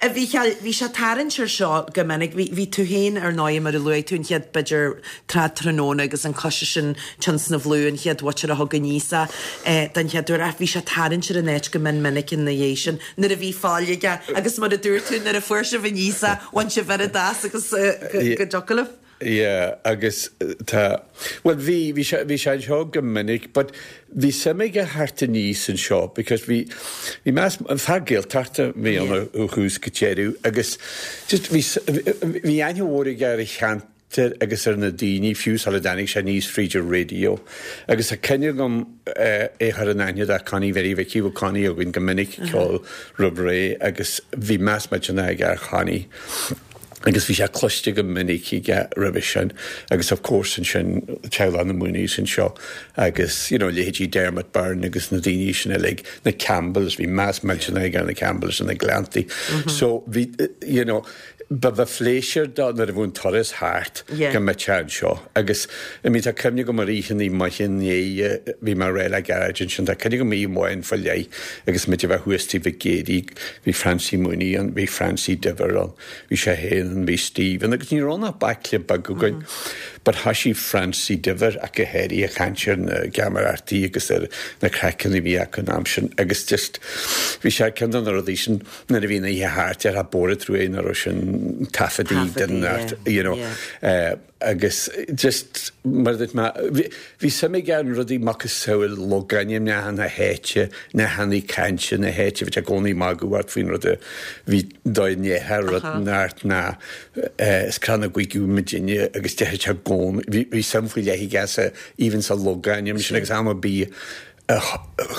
A Mhícheáil, bhí sé ag tarraingt air seo go minic. Bhí, bhí tú féin ar ndóigh mar a luaigh tú an chéad b'fhéidir trad tráthnóna agus an coiste sin Tionscnamh Lú an chéad mhuintir a thug aníos é den chéad uair ach bhí sé ag tarraingt ar an áit go mion minic ina dhiaidh sin nuair a bhí fáil aige agus mar a dúirt tú nuair a fuair sibh aníos é bhain sibh oiread as agus go dtiocfadh libh. Yeah, agus tá, bhuel bhí, bhí sé, bhí sé anseo go minic, but bhí suim aige theacht aníos anseo because bhí, bhí meas, fear Gaeltachta bhí ann ó thús go deireadh agus just bhí, bhí aithne mhór aige ar a cheantar agus ar na daoine fiú sula dtáinig sé aníos fríd an raidió. Agus tá cuimhne agam é a chur in aithne do Connie Mhary Mhicí, bhí Connie againn go minic ag ceol roimh ré agus bhí meas millteanach aige ar Chonnie. Agus bhí sé cloiste go minic aige roimhe sin agus of course ansin teaghlach na Mooneys anseo agus you know leithéidí Dermot Byrne agus na daoine sin uilig, na Campbells, bhí meas millteanach aige ar na Campbells and na Gleanntaí. So bhí you know ba ba phléisiúr dó nuair a bhí an turas thart go mbeadh sé anseo agus I mean tá cuimhne agam ar oícheannaí maithe inné bhí mé réidh le gairid ansin tá cuimhne agam oíche amháin faoi leith agus muid a bheith thuas Tigh Mhic Géidigh bhí Francie Mooney ann bhí Francie Diver ann bhí sé féin ann bhí Stephen agus ní raibh ann ach baicle beag againn but thoisigh Francie Diver ach go háirithe ag caint ar na geamaireachtaí agus ar na craiceanna a bhí acu an am sin agus just bhí sé ar ceann de na rudaí sin nuair a bhí an oíche thart ar bóra trú é nuair raibh sin taifeadaí den you know eh, agus just mar dúirt mé bhí suim aige in rudaí macasamhail logainmneacha na háite, nathanna cainte na háite, bhí sé i gcónaí ag magadh ort faoin rud a bhí dóigh ndéarfá rud inteacht ná is crann na gcuigiú muidinne agus déarfadh sé i gcónaí, bhí bhí suim faoi leith aige sa even sa logainm sin agus am ar bith a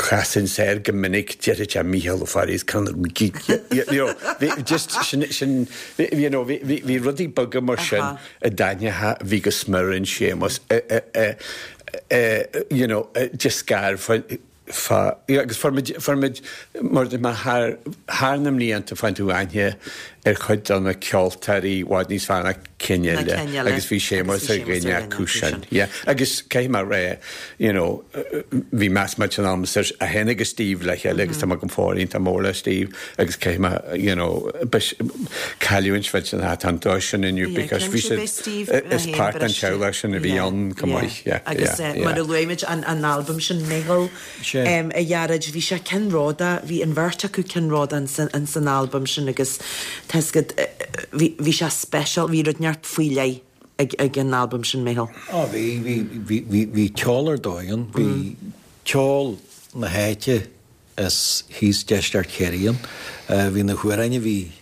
chasann sé air go minic déarfadh sé Mícheál Ó Fearraigh is crann na gcuigiú you know bhí just sin sin you know bhí bhí bhí rudaí beaga mar sin a d'aithneofá a bhí go smior in Séamus you know just scar fá fá agus fuair muid fuair muid mar mar thar thar na mblianta faigheann tú aithne ar chuid de na ceoltóirí i bhfad níos fearr ná cinn eile agus bhí Séamus ar dhuine acu sin. Yeah. Agus caithfidh mé a rá, you know, bhí meas millteanach agamsa air, é féin agus Steve le chéile agus tá mé go fóill iontach mór le Steve agus caithfidh mé, you know, cailliúint mhillteanach atá ann dó sin inniu because bhí siad, is páirt den teaghlach sin a bhí ann chomh maith. Yeah, Agus yeah, yeah. mar a luaigh muid an an albam sin Meitheal a Ghearóid, bhí sé ceannródaíoch, bhí an bheirt acu ceannródaíoch ins an albam sin agus tá 'fhios agat, bhí bhí sé special, bhí rud inteacht faoi leith ag ag an albam sin Meitheal. Á bhí, bhí, bhí, bhí, bhí ceol ar dóigh ann, bhí ceol na háite is thíos deisceart Chiarraí ann, bhí na hamhráin a bhí,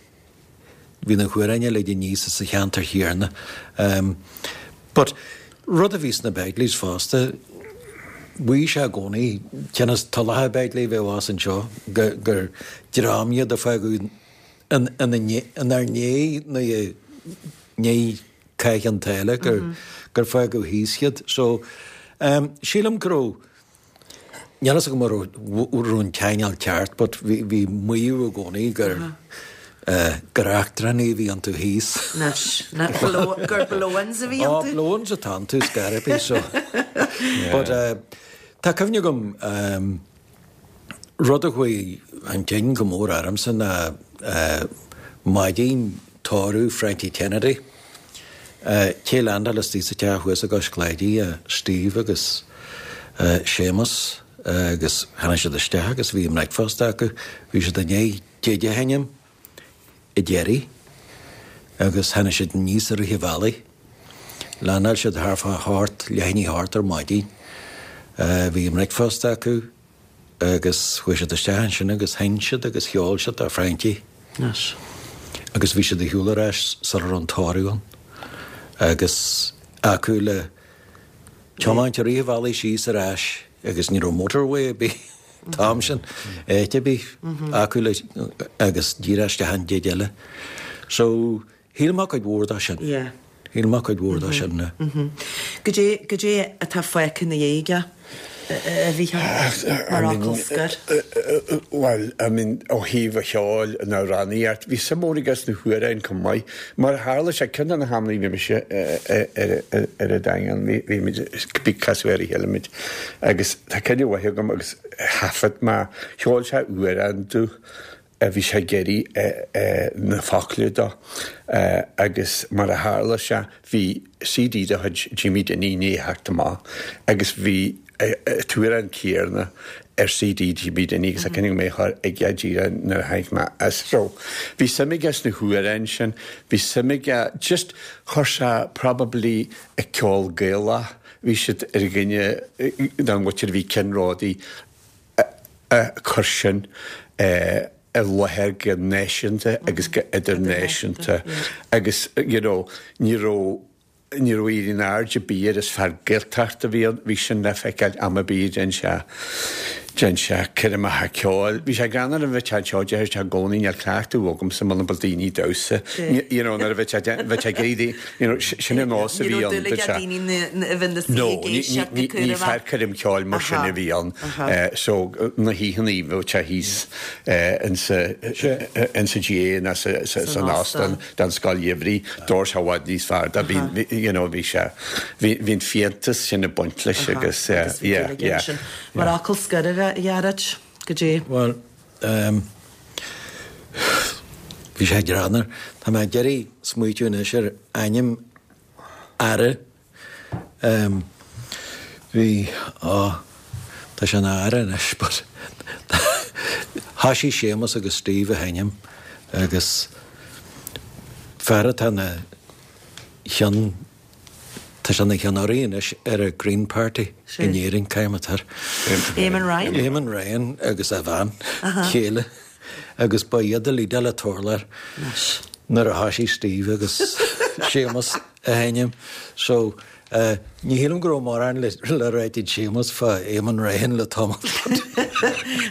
bhí na hamhráin uilig aníos as an cheantar chéanna. But rud a bhí sna Begleys fosta, Mhaígh sé i gcónaí, cionn is Tulacha Begley a bheith abhus anseo, gur dream iad a fágadh inár ndiaidh nó i ndiaidh Chath Chionn tSáile, gur fágadh thíos iad. So, sílim go raibh, níl fhios agam an raibh an ceangal ceart but bhí maíomh i gcónaí gur, gur eachtrannaigh a bhí iontu thíos. Anois, gur blow-ins a bhí iontu? Ó, blow-ins atá iontu, scor ar bith, so. But tá cuimhne agam, rud a chuaigh chun cinn go mór ormsa ná maidin tórramh Frankie Kennedy. Cé leandáil istigh sa teach thuas i gCois Cláidí, Steve agus Séamus agus tháinig siad isteach agus bhí a mbreicfeasta acu. Bhí siad i ndiaidh deaid a sheinm i dTerry agus tháinig siad aníos i rith an bhealaigh. Landáil siad thart fá hocht, leath i ndiaidh a hocht ar maidin. Bhí a mbreicfeasta acu agus chuaigh siad isteach ansin agus sheinn siad agus cheol siad do Frankie. Anois. Agus bhí siad ar shiúl ar ais sula raibh an tórramh ann agus acu le tiomáint i rith an bhealaigh síos ar ais agus ní raibh motorway ar bith an t-am sin, áit ar bith acu le agus díreach isteach an deaid eile. So, shíl mé cuid mhór de sin. Yeah. Shíl mé cuid mhór de sin. Goidé, goidé atá fágtha ina dhiaidh aige, a Mhícheáil, mar fhocal scoir? Bhuel, I mean, ó thaobh an cheoil, an amhránaíocht, bhí suim mhór aige sna hamhráin chomh maith. Mar a tharla sé, ceann de na hamanna a bhí mise ar an Daingean, bhí muid, bhí casadh ar a chéile muid, agus tá cuimhne mhaith agam agus thaifead mé, cheol sé amhrán domh, a bhí sé ag iarraidh na focla dó agus mar a tharla sé bhí C D de chuid Jimmy Dinny i ndiaidh theacht amach agus bhí an t-amhrán céanna ar C D Jimmy Dinny agus a cinneadh mé chur aige díreach nuair a tháinig mé as. So bhí suim aige sna hamhráin sin, bhí suim aige just chuir sé probably a ceol Gaelach, bhí siad ar dhuine den mhuintir a bhí ceannródaí a chur sin i láthair go náisiúnta agus go idirnáisiúnta agus you know, ní raibh ní raibh éirí in airde ar bith air is fear Gaeltachta a bhí ann, bhí sin le feiceáil am ar bith déan sé déan sé coirmeacha ceoil. Bhí sé greannmhar a bheith anseo deir sé i gcónaí níl cleachtadh agamsa muna bhfuil daoine damhsa. You know, nuair a bheith sé bheith sé ag iarraidh you know, sin an nós a Ní bhí raibh ann. dúil aige daoine a bheith ina suí No, ag éisteacht go ní cúramach. fear coirm ceoil mar sin a bhí ann. So na hoícheanna bheadh sé thíos insa insa G A ná sa san óstán don scoil gheimhridh, d'fhóir sé i bhfad níos fearr. Dá bhí you know, bhí sé bhí bhí an fiántas sin ag baint leis agus Agus bhí yeah, dúil aige yeah. ansin. Mar fhocal scoir a Ghearóid, go dtí. Bhuel, um, bhí sé greannmhar. Tá mé ag iarraidh smaoitiú anois ar ainm aire. Um, bhí á tá sé ina aire anois, but thosaigh Séamus agus Steve a sheinm agus fear atá ina cheann tá sé ina cheannaire anois ar a Green Party Sin. in Éirinn caimatar. Eamon Ryan? Eamon Ryan agus a bhean chéile agus ba iad a lída le torlar nuair a thosaigh Steve agus Séamus a sheinm. So uh, ní shílim go raibh mórán le le rá ag Séamus fá Eamon Ryan le tamall.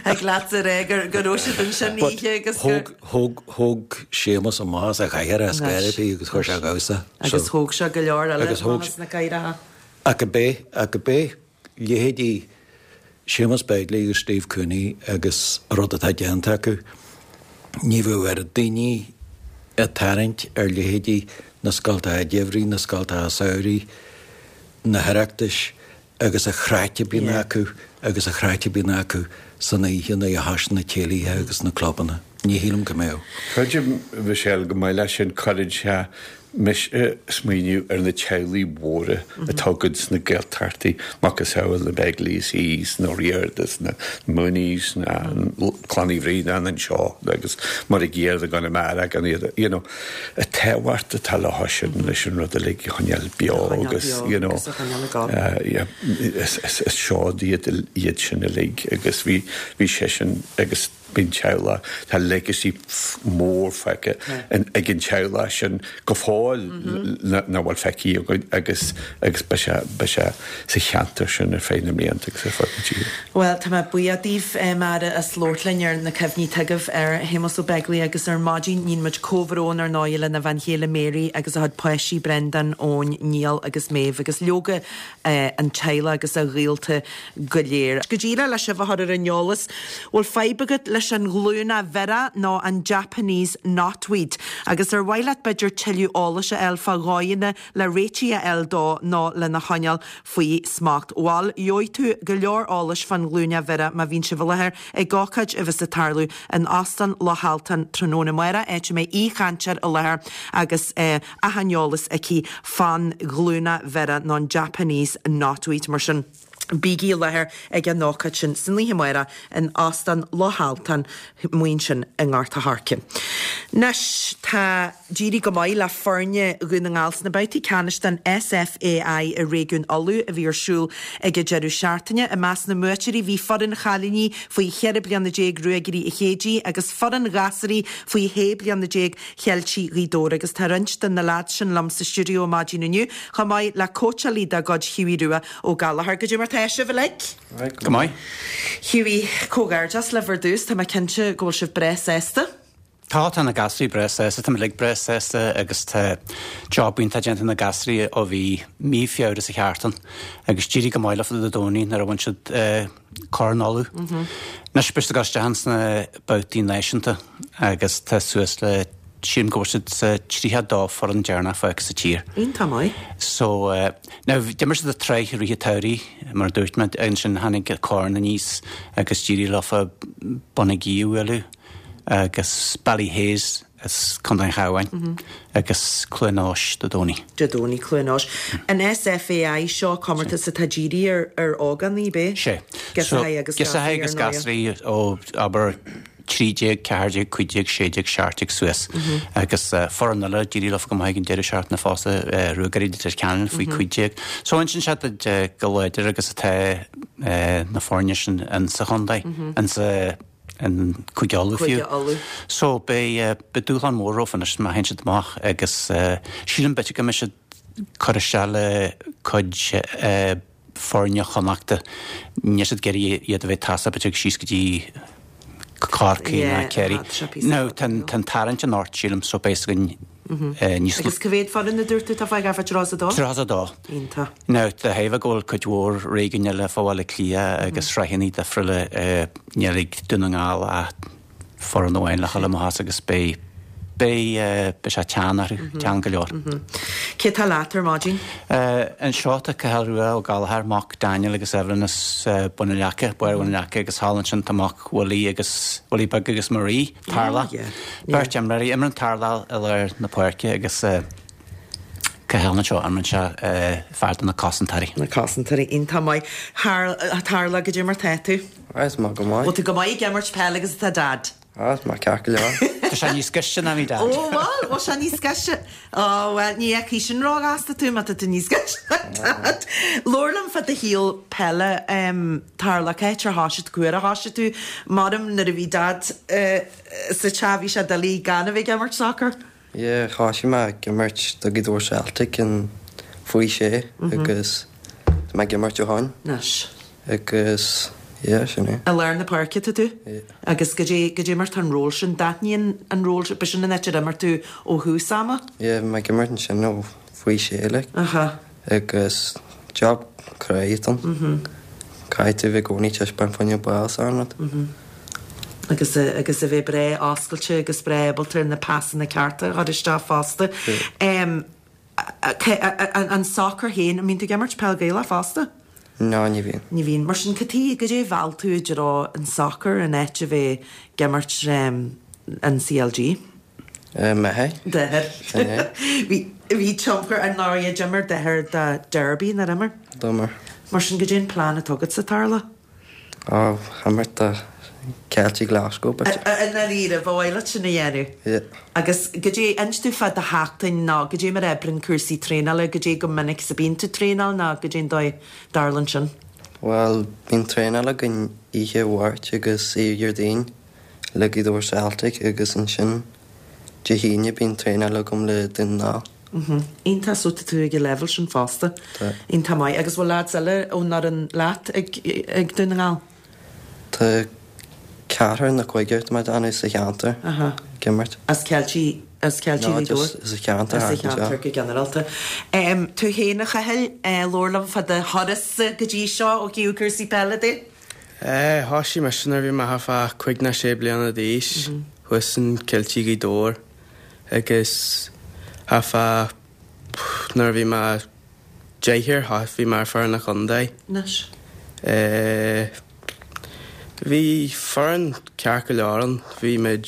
Ag leat a rá gur go raibh siad ansin But oíche agus gur- thóg thóg thóg Séamus amach as a chathaoir as Gairibí agus chuir sé damhsa. Agus thóg sé go leor eile Agus thóg amach as na cathaoireacha. Ach go bé ach go bé leithéidí Séamus Begley agus Steve Cooney agus rud atá déanta acu ní bheadh ar daoine ag tarraingt ar leithéidí na scoltacha geimhridh, na scoltacha samhraidh, na hOireachtais agus an chraic a bhíonn acu agus an chraic a bhíonn acu san oíche na hais na céilithe agus na clubanna. Ní shílim go mbeadh. Creidim Michelle go maith leis sin cuireann sé mis smaoineamh ar na teaghlaigh mhóra atá agat sna Gaeltachtaí macasamhail na Begleys is na Riordas na Mooneys na Clann Uí Bhraonáin anseo agus mar a ggéar gan a gan iad you know, an tábhacht atá le sin leis an rud uilig a choinneáil beo agus you know, agus a choinneáil ag gabháil. uh, yeah, is, is, is seod iad iad sin uilig agus bhí bhí sé sin agus bíon teaghlach tá legacy mór feicthe ag an teaghlach sin go fóill na bhfuil feicthe againn agus agus beidh sé beidh sé sa cheantar sin ar feadh na mblianta agus ar fud na tíre. Well, tá mé buíoch daoibh eh, mar as labhairt linn ar na cuimhní atá agaibh ar Shéamus Ó Beaglaoich agus ar maidin níonn muid comhbhrón ar ndóigh lena bhean chéile Mary agus a chuid páistí Brendan, Eoin, Niall agus Maeve agus leoga eh, an teaghlach agus a ghaolta go léir. Go díreach le sibh a chur ar an eolas, bhfuil fadhb agat leis an ghlúine mhire nó an Japanese knotweed, agus ar mhaith leat b'fhéidir tuilleadh eolais a fháil fá dhóigheanna le réitigh a fháil dó nó lena choinneáil faoi smacht. Bhuel, gheobhaidh tú go leor eolais fán ghlúine mhire má bhíonn sibh i láthair ag ócáid a bheas ag tarlú in Óstán Loch Altan tráthnóna amárach, áit a mbeidh aoichainteoir i láthair agus eh, achan eolas aici fán ghlúine mhire nó an Japanese knotweed mar sin. Bígí i láthair ag an ócáid sin san oíche amárach in Óstán Loch Altan muin sin i nGort an Choirce. Anois tá d'éirigh go maith le foirne Dhún na nGall sna babhtaí ceannais den S F A I i réigiún Uladh a bhí ar siúl ag an deireadh seachtaine. I measc na mbuaiteoirí bhí foireann chailíní faoi cheithre bliana déag Ruagairí an Chéide agus foireann ghasúraí faoi shé bliana déag Cheiltigh Ghaoth Dobhair agus tá roinnt de na leaids sin liom sa stiúideo maidin inniu chomh maith le cóitseálaí dá gcuid Hughie Rua Ó Gallchóir. Goidé mar tá sibh uilig? Go maith. Hughie, comhghairdeas libh ar dtús, tá mé cinnte go bhfuil sibh breá sásta. Tá tá na gasraí breá sásta, tá muid breá sásta agus tá job iontach déanta na gasraí ó bhí mí Feabhra sa cheartan agus d'éirigh go maith leofa Dé Domhnaigh nuair a bhain siad eh, Corn Uladh. Anois beidh siad ag dul isteach sna babhtaí náisiúnta agus tá suas le sílim go bhfuil siad sa tríocha dó foireann deireanach fágtha sa tír. Iontach maith. So uh, now d'imir siad an tsraith i rith an tsamhraidh mar a dúirt mé ansin tháinig Corn aníos agus d'éirigh leofa Bun an Ghaoith a bhualadh agus Ballyhaise as Contae an Chabháin agus Cluain Eois Dé Domhnaigh. Dé Domhnaigh Cluain Eois. An SFAI seo comórtas atá dírithe ar ar ógánaigh be? Sé. Girseachaí agus Girseachaí agus gasraí gasraí ó abair trí déag, ceathair déag, cúig déag, sé déag, seacht déag suas. Agus uh, foireann eile d'éirigh leofa go maith an deireadh seachtaine fosta uh, Ruagairí Leitir Ceanainn faoi cúig déag. So ansin sé go láidir agus atá uh, na foirne sin in sa chontae, in sa in Cúige Uladh Cúige fiú. Uladh. So beidh uh, dúshlán mór rompu anois má théann siad amach agus uh, sílim b'fhéidir go mbeidh siad cur isteach le cuid uh, foirne Chonnachta níl siad ag iarraidh iad a bheith tasa b'fhéidir síos go dtí Corcaigh Yeah, ná Kerry. tá sé píosa No tá an tarraingt an ort sílim so beidh againn níos Agus cá mhéad foireann a dúirt tú tá fágtha tríocha a dó? tríocha a dó. Iontach. Now de thaobh go bhfuil cuid mhór réigiúin eile fá Bhaile Átha Cliath agus sraitheanna difriúla níl ag Dún na nGall ach foireann amháin le dhul amach agus beidh beidh beidh sé teann orthu teann go leor. Cé tá leat ar maidin? Anseo tá Cathal Rua Ó Gallchóir mac Daniel agus Evelyn as Bun na Leaca, Baile Bhun na Leaca agus thall ansin tá mac Willie agus Willie Beag agus Marie Tarlach. Oh, yeah. Beirt imreoirí imríonn Tarlach i lár na páirce agus uh, Cathal anseo imríonn sé uh, fear de na cosantóirí. Na cosantóirí iontach maith. Tarlach goidé mar tá tú? Is maith go maith. Bhfuil tú go maith ag imirt peile agus atá dad? Á má ceart go leor. Tá sé níos gaiste ná mé dad. Ó bhuel, bhfuil sé níos gaiste. Ó well, ní fheicfidh sin róghasta tú má tá tú níos gaiste ná dad. Labhair liom fá do shaol peile um, Tarlach cá háit ar thosaigh tú ar thosaigh tú maram nuair a bhí dad uh, sa teach bhí sé doiligh gan a bheith ag imirt soccer. Yeah, thosaigh mé ag imirt do Ghaoth Dobhair Celtic in faoi sé agus tá mé ag imirt ó shin Anois. agus yeah, sin é. I lár na páirce tá tú? Yeah. Agus goidé goidé mar tá an ról sin d'aithníonn an ról sin sin an áit ar imir tú ó thús ama? Yeah, bhí mé ag imirt ansin ó faoi sé like. Aha. agus job cruaidh ann. Caithfidh tú bheith i gcónaí taispeáint fá choinne ball san rud. agus a, agus a bheith breá oscailte agus breá ábalta na pasanna cearta a chur isteach fosta. Um, a- a- a- an soccer féin, an mbíonn tú ag imirt peil Ghaelach fosta? Ná ní bhíonn. Ní bhíonn mar sin cad goidé mheall tú i dtreo an soccer an áit a bheith ag imirt um, an CLG. Uh, M'athair? D'athair. Sin é. Bhí bhí tionchar an náir d'imir d'athair do Derby na imir. D'imir. Mar sin goidé an plean atá agatsa Tarlach. Á imirt do Celtic Glasgow but An líre bhile sin a dhéanamh. yeah. Agus goidé inis domh fá do sheachtain ná goidé mar oibríonn cúrsaí traenála goidé go minic a bhíonn tú traenáil ná goidé an dóigh a dtarlaíonn sin. Well, bíonn traenáil againn oíche Mháirt agus oíche Dhéardaoin le Gaoth Dobhair Celtic agus ansin Dé hAoine bíonn traenáil agam le Dún na nGall. Iontach so tá tú ag an level sin fosta. Tá. Iontach maith agus bhfuil lads eile ón fhoireann leat ag ag Dún na nGall. Tá ceathrar nó cúigear tá déanamh sa cheantar Aha. ag imirt. As Ceiltigh as Ceiltigh No, Ghaoth Dobhair? just as a cheantar As a thart anseo. cheantar go ginearálta. Um, tú féin a Chathail uh, labhair liom fá do thuras go dtí seo ó thaobh cúrsaí peile de? Eh, Thosaigh mise nuair a bhí mé fá cúig nó sé bliana d'aois thuas in Ceiltigh Ghaoth Dobhair agus fá nuair a bhí mé deich bhí mé ar foireann an chontae. Anois. Eh, Bhí foireann ceart go leor ann bhí muid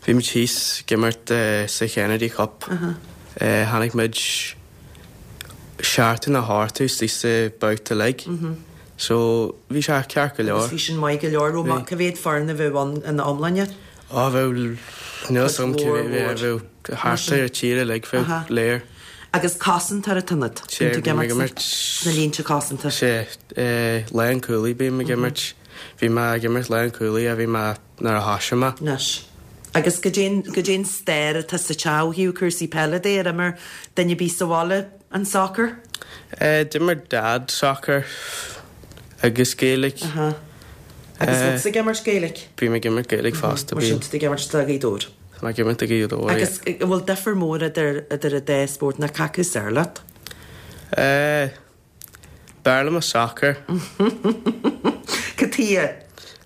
bhí muid thíos ag imirt eh, sa Kennedy Cup. Eh, Tháinig muid seachtú nó ochtú sa babhta uilig. So bhí sé ceart go Agus leor. bhí sin maith go leor ó Bhí. cá mhéad foireann a bhí ann ina iomláine. Á bheith níl sam Cuid mhór, mhór. bheith thart ar tíre le Aha. bheith léir. Agus cosantóir atá ionat. Sé, Bíonn tú bhí mé ag ag imirt imirt- sna línte cosanta. Sé lánchúlaí bím ag imirt bhí mé ag imirt lánchúlaí a bhí mé nuair a thosaigh mé. Anois. Agus goidé goidé an stair atá sa teach ó thaobh cúrsaí peile de ar imir duine bí sa bhaile an soccer? Eh, D'imir dad soccer agus Gaelic Aha. Agus bhfuil tusa ag imirt Gaelic? Bím ag imirt Gaelic fosta. Mar sin tá tú ag imirt do Ghaoth Dobhair. Tá mé ag imirt do Ghaoth Dobhair, yeah. Agus an bhfuil difear mór idir idir an dá spórt nó cé acu is fearr leat? Eh, b'fhearr liom an soccer. Cad chuige?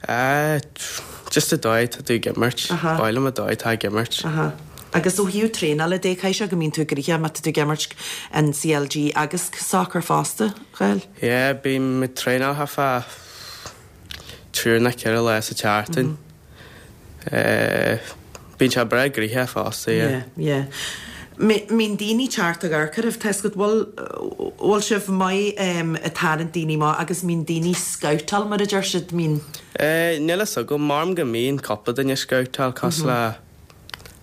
Eh, just an dóigh atá tú ag imirt. Aha. B'áil liom an dóigh atá ag imirt. Aha. Agus ó thaobh traenála de, caithfidh sé go mbíonn tú gnoitheach má tá tú ag imirt an CLG agus soccer fosta, Cathal? Yeah, bím ag traenáil thart fá trí nó ceithre lá sa tseachtain. Eh, bíonn sé breá gnoitheach fosta, yeah. Yeah, yeah. Mbíonn daoine teacht ag amharc oraibh, tá a fhios agat, bhfuil, bhfuil sibh maith ag tarraingt daoine amach agus mbíonn daoine scabhtáil mar a deir siad, mbíonn. Eh, níl a fhios agam, maram go mbíonn cúpla duine scabhtáil cosúil le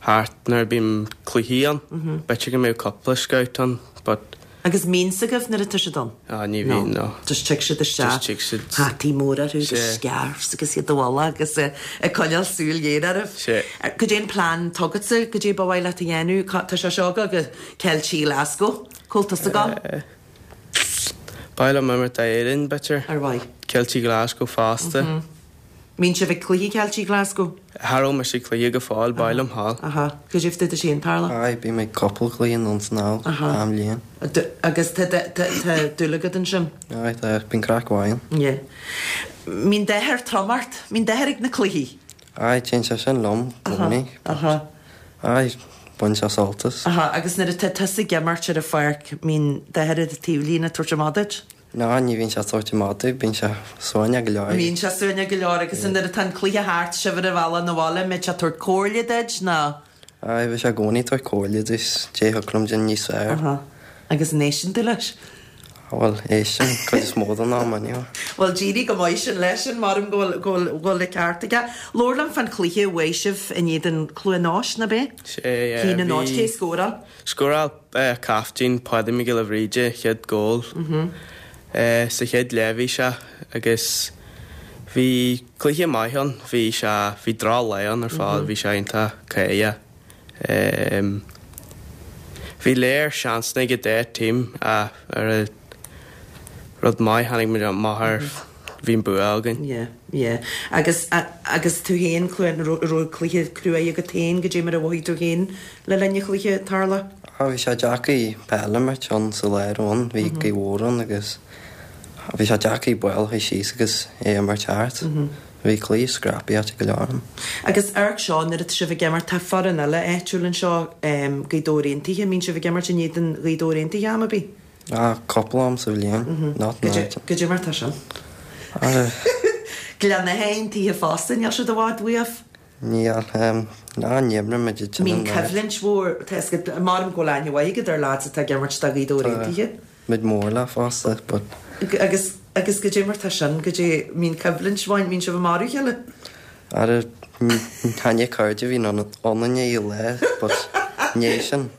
thart nuair a bíonn cluichí ann, b'fhéidir go mbeadh cúpla scout ann, but. Agus mbíonn a fhios agaibh nuair atá siad ann? Ah, ní bhíonn, no. Just tig siad isteach. Just tig siad. Hataí móra orthu agus Sea. scarves agus iad i bhfolach agus ag coinneáil súil ghéar oraibh. Sea. Cad é an plean atá agatsa, cad é ba mhaith leat a dhéanamh? Tá sé seo ag dul go Ceiltigh Glasgow. Cá bhfuil tusa ag dul? Ba mhaith liom imirt d'Éirinn, b'fhéidir. Ar mhaith. Ceiltigh Glasgow fosta. Mbíonn sibh ag cluichí Ceiltigh Glasgow? Cha raibh mise ag cluiche go fóill, ba mhaith liom dhul. Aha. Cad é fá dtaobh de sin, Tarlach? Aye, bím ag cúpla cluiche anonn is anall, achan bhliain. Agus tá tá dúil agat ansin? Aye, tá, bíonn craic mhaith ann. Yeah. Mbíonn d'athair trom ort? Mbíonn d'athair ag na cluichí? Aye, téann sé sin liom i gcónaí. Aha. Aye, baineann sé sult as. Aha, agus nuair atá tusa ag imirt ar an pháirc, mbíonn d'athair ar an taobhlíne ag tabhairt amach duit? Ná, ní bhíonn sé ag tabhairt amach domh, bíonn sé suaimhneach go leor. Bíonn sé suaimhneach go leor agus nuair atá an cluiche thart, sibh ar an bhealach 'na bhaile, an mbeidh sé ag tabhairt comhairle duit nó? Aye, bheadh sé i gcónaí ag tabhairt comhairle duit, cad é thiocfadh liom déanamh níos fearr. Aha. Agus an éisteann tú leis? Bhuel, éistim, cuid is mó den am, anyway. Bhuel, d'éirigh go maith sin leis sin, maram go bhfuil, go bhfuil, go bhfuil an ceart aige. Labhair liom fán chluiche a bhuaigh sibh in éadan Cluain Eois, ná b'é? Sea, yeah, Haon a náid, bhí. cé scóráil? Scóráil captaen Páidí Mac Giolla Bhríde chéad gól sa chéad leath bhí sé agus bhí cluiche maith ann, bhí sé, bhí droch lá ann ar fad, bhí sé iontach cáidheach. Bhí léir seansanna ag an dá team ach ar an rud maith tháinig muid amach ar bhí an bua againn. Yeah, yeah. Agus, agus tú féin, Cluain, an raibh cluiche cruaidh agat féin, goidé mar a mhothaigh tú féin le linn an chluiche, Tarlach? Ah, bhí sé deacair peil a imirt ann sa lár ann, bhí gaoth mhór ann agus bhí sé deacair ball a chur síos agus é a imirt thart. Bhí cluiche scrappy ait go leor ann. Agus amharc seo, nuair atá sibh ag imirt, tá foireann eile áitiúil anseo, Gaoth Dobhair Aontaithe, an mbíonn sibh ag imirt in éadan Ghaoth Dobhair Aontaithe am ar bith? Ah, cúpla am sa bhliain, not Goidé much. goidé mar atá sin? Ah. Gleann Átha Aontaithe fosta, níl siad i bhfad uaibh? Níl, ná ní imríonn muid i Mbíonn coimhlint mhór, tá a fhios agat, maram go bhfuil aithne mhaith agat ar lads atá ag imirt do Ghaoth Dobhair Aontaithe. Tá muid mór leo fosta, but. Agus, agus goidé mar tá sin, goidé, mbíonn coimhlint mhaith, mbíonn sibh ag marú a chéile? Ara, chan é cairde a bhíonn ionainne i lá, but ní sin,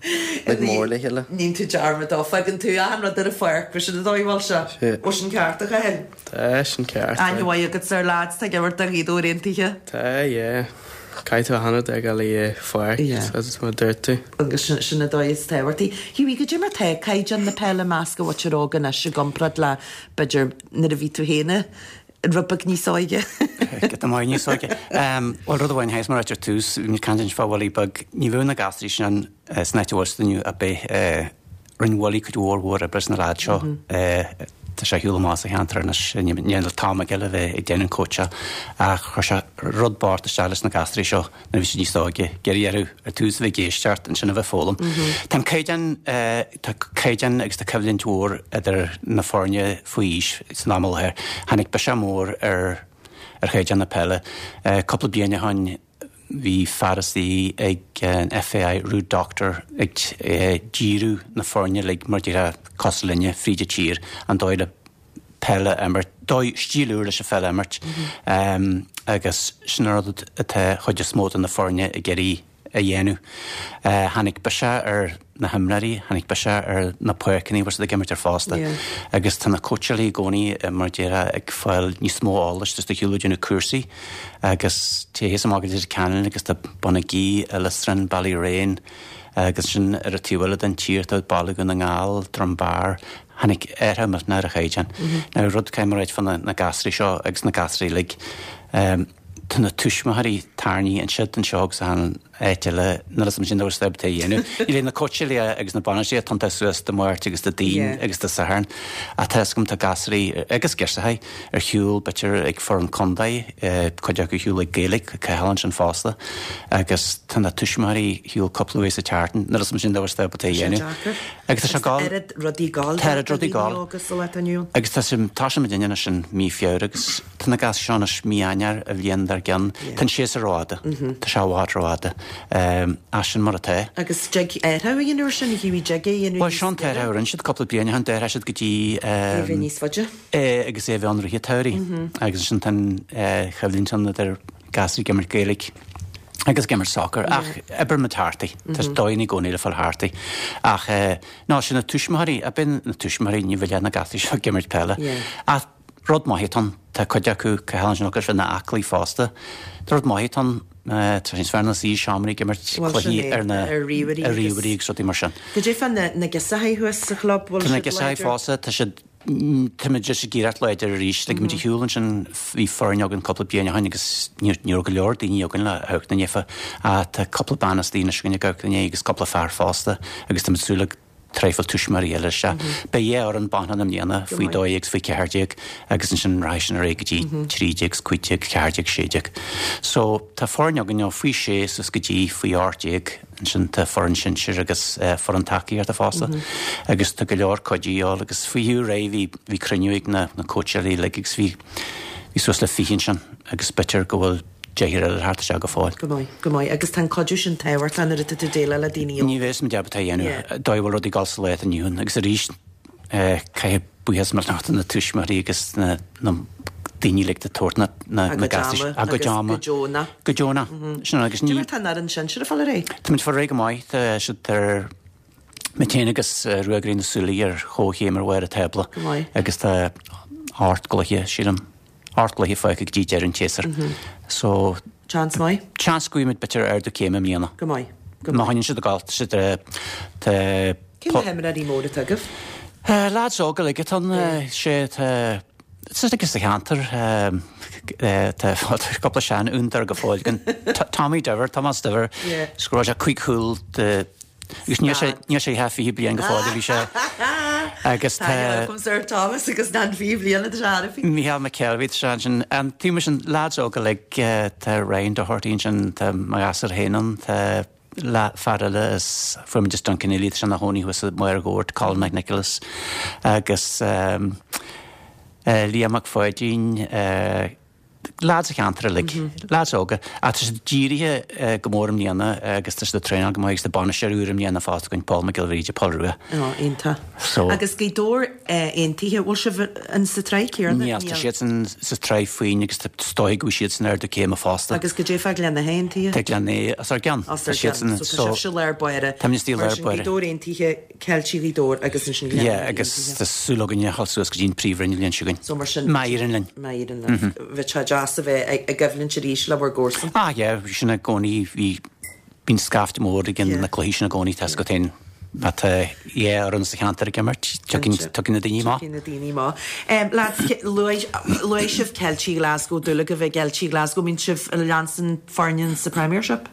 muid mór le chéile. Níonn tú dearmad dó, fágann tú achan rud ar an pháirc, b'shin an dóigh a bhfuil sé. Sea. Bhfuil sin ceart, a Chathail? Tá, sin ceart. Aithne mhaith agat ar lads atá ag imirt do Ghaoth Dobhair Aontaithe? Tá, yeah. Caithfidh tú achan rud a fhágáil ar an pháirc, Yeah. mar a dúirt tú. Agus sin, sin an dóigh is tábhachtaí. Hughie, goidé mar tá caighdeán na peile i measc an mhuintir óg anois i gcomparáid le, b'fhéidir, nuair a bhí tú féin rud beag níos óige? Giota maith níos óige. Bhuel, rud amháin, théis mar a dúirt ar tús, bhí muid ag caint fá Willie Beag, ní bheadh na gasraí sin san áit a bhfuil siad inniu ar bith. Rinne Willie cuid mhór mhór oibre sna leaids seo. Tá sé ar shiúl amach as an cheantar anois, níl an t-am aige le bheith ag déanamh an cóitseáil ach chuir sé rud bocht isteach leis na gasraí seo nuair a bhí siad níos óige, ag iarraidh orthu ar tús a bheith ag éisteacht, ansin a bheith ag foghlaim. Tá an caighdeán, tá caighdeán agus tá coimhlint mhór idir na foirne faoi aois san am i láthair. Tháinig biseach mór ar ar chaighdeán na peile. Cúpla bliain ó shin bhí fear istigh ag an FAI, Ruud Dokter, ag díriú na foirne uilig mar déarfá cosúil linne fríd an tír, an dóigh le peil a imirt, dóigh, stíl úr leis an pheil a imirt agus sin an rud atá chuid is mó de na foirne ag iarraidh a dhéanamh. Tháinig biseach ar na himreoirí, tháinig biseach ar na páirceanna a bhfuil siad ag imirt ar fosta. Agus tá na cóitseálaí i gcónaí, mar a déarfá, ag fáil níos mó eolais, tá siad ar shiúl ag déanamh cúrsaí agus téigh thíos amach go Leitir Ceanainn agus tá Bonagee, Illistrin, Ballyraine agus sin ar an taobh eile den tír tá Baile Dhún na nGall, Drumbar, tháinig athrú millteanach ar an chaighdeán. Now rud caithfidh mé a ráit fá na gasraí seo agus na gasraí uilig, Tá na tuismitheoirí tarraingthe ansiúd anseo agus achan áit eile, níl a fhios agam sin dóibh step a dhéanamh. Níl na cóitseálaithe agus na bainistithe ag tiontú suas Dé Máirt agus Dé Daoin agus Dé Sathairn ach tá a fhios agam tá gasraí agus girseachaí ar shiúl b'fhéidir ag foireann contae, cuid acu ar shiúl ag Gaelic, Cathal ansin fosta agus tá na tuismitheoirí ar shiúl cúpla uair sa tseachtain, níl a fhios agam sin dóibh step a dhéanamh. Agus tá sé ag gabháil. Tá oiread rudaí ag gabháil. Tá oiread rudaí ag gabháil. Agus tá sé, tá sé muidinne anois in mí Feabhra agus Tá na gasraí seo anois mí Eanáir an bhliain dár gcionn. Tá an séasúr rófhada. Tá sé i bhfad rófhada. Ach sin mar atá. Agus dtig athrú a dhéanamh air sin, a Hughie, dtig é a dhéanamh Bhuel, seo an t-athrú a rinne siad cúpla bliain ó shin, d'athraigh siad go dtí. É a bheith níos faide. É agus é a bheith ann i rith an tsamhraidh. Agus ansin tá an choimhlint ann idir gasraí ag imirt Gaeilge agus ag imirt sacar. Ach oibreoidh muid thart é. Tá dóigheanna i gcónaí le fáil thart é. Ach ná sin na tuismitheoirí, ab in na tuismitheoirí, ní bheidh leath na gasraí seo ag imirt peile. Ach Rud maith atá ann, tá cuid acu, Cathal ansin agus ina aclaí fosta. Tá rud maith atá ann, tá sé níos fearr ná suí i seomraí ag imirt Bhuel, sin cluichí é, ar na ar ríomhairí ar agus. ríomhairí agus rudaí mar sin. Goidé fá na na girseachaí thuas sa chlub, bhfuil Tá na siad girseachaí láidir? fosta, tá siad, táimid just ag iarracht láidir arís. Like, muid ar shiúl ansin, bhí foireann againn cúpla bliain ó shin agus ní ní raibh go leor daoine againn le amharc ina ndiaidh. Ach tá cúpla bean istigh anois againn ag amharc ina ndiaidh agus cúpla fear fosta agus táimid ag súil le traidhfil tuismitheoirí eile isteach. Beidh dhá fhoireann baineann i mbliana, faoi dó dhéag agus faoi ceathair déag, agus ansin rachaidh sin ar aghaidh go dtí trí déag, cúig déag, ceathair déag, sé déag. So tá foireann againn ó faoi sé suas go dtí faoi ocht déag, ansin tá foireann sinsir agus foireann tacaíochta fosta. Agus tá go leor cuidiú a dhíobháil agus faoi Hugh Ray bhí bhí cruinniú ag na na cóitseálaí uilig agus bhí bhí suas le fiche ansin agus b'fhéidir go bhfuil deichniúr eile thart isteach go fóill. Go maith, go maith. Agus tá an cuidiú sin tábhachtach nuair atá tú ag déileáil le daoine óga. Ní bheadh muid ábalta a dhéanamh Yeah. dóigh a bhfuil rudaí ag dul sa lá atá inniu ann. Agus arís, caithfidh buíochas millteanach do na tuismitheoirí agus na na daoine uilig atá ag tabhairt na na A na gcuid gasúir ama a gcuid agus ama. go deonach. Go deonach. Sin agus Cad é ní mar tá an fhoireann sinsir ag fáil ar aghaidh? Táimid ag fáil ar aghaidh go maith. Tá siad ar Muid féin agus Ruagairí na Súilí ar chomhchéim ar bharr an tábla Go maith. agus tá ocht gcluiche, sílim, ocht gcluiche fágtha go dtí deireadh an tséasúir. So. Seans maith? Seans go bhfaighidh muid b'fhéidir ardú céime i mbliana. Go maith. Go Má maith. choinníonn siad ag gabháil, tá siad, tá. Cé na himreoirí móra atá agaibh? Lads óga uilig atá ann, sé tá, sa sa cheantar, tá cúpla seanfhondúir go fóill againn. Tommy Diver, Tomás Diver, Yeah. scóráil sé cúig chúl de Agus níl sé níl sé thar fiche bliain go fóill a bhí sé agus Tá tá agam Sir Thomas agus nan fiche bliain atá sé thar a fiche. Micheál McKelvey tá sé ansin. An taobh sin lads óga uilig tá Ryan Doherty ansin, tá mo ghasúr féin ann, tá le fear eile is fuair muid as Dunkineely, tá sé ina chónaí thuas i Machaire Ghabhar, Colin McNicholas agus Liam Mac Pháidín, Lads an cheantair uilig, lads óga. Ach tá siad dírithe go mór i mbliana agus tá siad ag traenáil go maith agus tá bainisteoir úr i mbliana fosta againn, Paul Mac Giolla Bhríde, Paul Rua. Á, iontach. So. Agus Gaoth Dobhair Aontaithe, bhfuil sibh in sa tsraith céanna? Níl, tá siadsan sa tsraith fúinn agus tá is dóigh go bhfuil siadsan ardú céime fosta. Agus goidé fá Gleann Átha Aontaithe? Tá Gleann Átha os ár gcionn. Os ár gcionn. So tá sibhse lár báire. Táimid istigh Mar lár sin báire. Gaoth Dobhair Aontaithe, Ceiltigh Ghaoth Dobhair agus ansin Gleann Yeah, Átha agus Aontaithe. tá súil againn a dhul suas go dtí an príomhroinn an bhliain seo chugainn. So mar sin. Má éiríonn linn. Má éiríonn libh. Bheadh sé deas a bheith ag ag coimhlint arís le bhur gcomharsan. Ah yeah, bhí sin i gcónaí, bhí, bíonn scaifte mór ag Yeah. na cluichí sin i gcónaí, tá a fhios agat féin, má tá dhá fhoireann sa cheantar ag imirt, tiocfaidh, tiocfaidh na daoine amach. Tiocfaidh na daoine amach. Um, lads, luaigh, luaigh sibh Ceiltigh Glasgow, dúil agaibh i gCeiltigh Glasgow, mbíonn sibh ag leanstan foirne sa Premiership?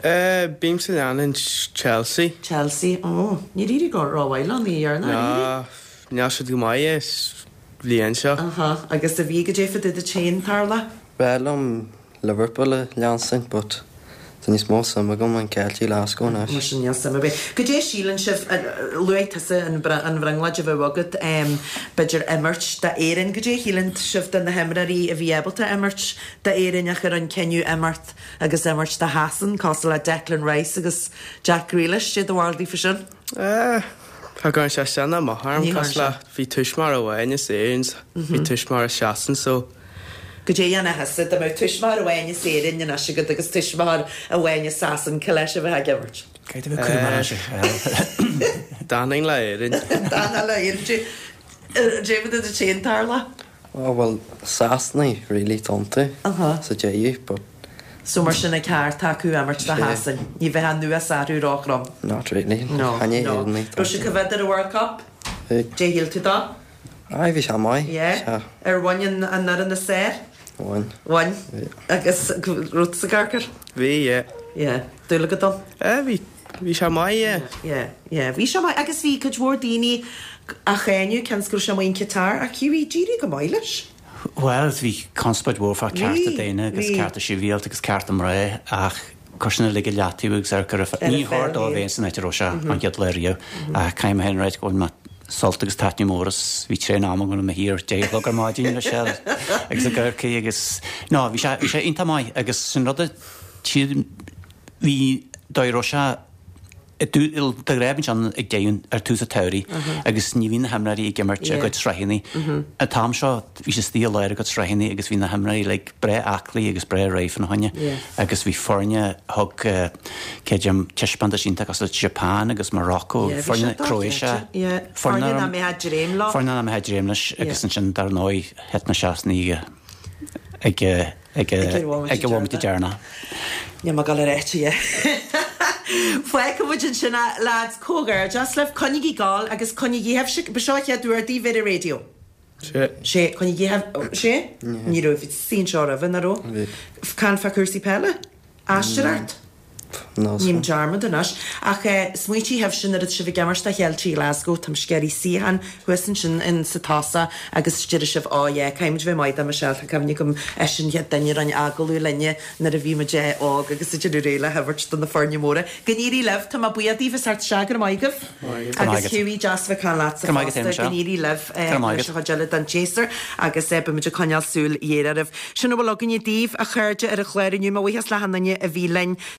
Eh, bímse ag leanúint Chelsea. Chelsea, ó, níor éirigh go rómhaith leo, ní dhearna, ar éirigh? Ná, níl siad go maith an bhliain seo. Aha, agus a bhí goidé fá dtaobh duit féin, Tarlach? B'fhearr liom Liverpool a leanstan but tá níos mó suim agam an Ceiltigh Glasgow anois. Mar sin níl suim ar bith. Goidé síleann sibh, luaigh tusa an an bhrionglóid a bheadh agat, b'fhéidir imirt d'Éirinn. Goidé a shíleann sibh de na himreoirí a bhí ábalta imirt d'Éirinn ach a rinne cinneadh imeacht agus imirt do Shasain, cosúil le Declan Rice agus Jack Grealish, cad é do bharúil faoi sin? Eh, Cha gcuireann sé sin amach orm, Ní chuireann cosúil le sé. bhí tuismitheoir amháin as Éirinn, bhí tuismitheoir as Sasain, so. Goidé a dhéanfá thusa, dá mbeadh tuismitheoir amháin as Éirinn anois agat agus tuismitheoir amháin as Sasain, cé leis a bheifeá ag imirt? Caithfidh mé cur mar sin. D'fhanfainn le Éirinn. D'fhanfá le Éirinn. David a dtéann tarla? Oh well Sasanaigh really tá iontu sa deireadh but. So mar sin an ceart acu imirt do Shasain. Ní bheadh an nuashonrú róthrom. Not really. No, no. Raibh sibh ag coimhéad ar an World Cup? Bhí. Dé shíl tú dó? Aye bhí sé maith. Yeah. Ar bhain an an fhoireann is fearr? Bhain. Bhain. Bhí. Agus raibh tusa ag amharc air? Bhí, yeah. Yeah. Dúil agat ann? Eh bhí. Bhí sé maith, yeah. Yeah, yeah. Bhí sé maith agus bhí cuid mhór daoine á cháineadh cionn is go raibh sé amuigh in Qatar ach Hughie, d'éirigh go maith leis. Bhuel, bhí conspóid mhór fá cearta Bhí, daonna agus bhí. cearta sibhialta agus cearta mná ach chuir sin uilig i leataobh agus ar go raibh Ar ní a chóir pheil dó a féin. bheith san áit a raibh sé an chéad lá riamh. Ach caithfidh mé féin a ráit go bhfuil mé sult agus taitneamh mór as bhí traein am agam i mo shuí ar deich a chlog ar maidin le Michelle agus i gCorcaigh agus no, bhí sé bhí sé iontach maith agus sin rud a tí bhí dóigh a raibh sé de ghnáth bíonn sé ag deireadh ar tús an tsamhraidh agus ní bhíonn na himreoirí ag imirt a gcuid sraitheanna. An t-am seo bhí sé istigh i lár a gcuid sraitheanna agus bhí na himreoirí like breá aclaí agus breá réidh fána choinne agus bhí foirne thug creidim taispeántas iontach as Japan agus Morocco, foirne Croatia, foirne nach mbeifeá ag dréim leo. Foirne nach mbeifeá ag dréim leis agus ansin dar ndóigh thit na Sasanaigh ag ag ag an bhomaite deireanach. Níl mé ag dul a ráit é. Fágfaidh muid ansin é lads, comhghairdeas libh, coinnígí ag gabháil agus coinnígí sibhse, ba seo an chéad uair daoibh ar an raidió? Sé. Sé, coinnígí sé? Ní raibh, bhí sí anseo roimhe, nach raibh? Bhí. Caint fá chúrsaí peile? Aisteoireacht? Ním dearmad anois. Ach smaointigh sibhse nuair atá sibh ag imirt do Cheiltigh Glasgow, tá mise ag iarraidh suíochán thuas ansin in sa tosach agus déarfaidh sibh oh yeah, caithfidh muid bheith maith do Michelle, tá cuimhne agam eisean an chéad duine a rinne agallamh linne nuair a bhí muid óg agus ag déanamh réidh le himirt do na foirne móra. Go n-éirí libh, tá mé buíoch daoibh as theacht isteach, go raibh maith agaibh. Agus Hughie, deas bheith ag caint leatsa fosta, go n-éirí libh leis an chuid eile den tséasúr agus beidh muid ag coinneáil súil ghéar oraibh. Sin a bhfuil againne daoibh, a chairde, ar an chlár inniu. Mo bhuíochas le achan duine a bhí linn.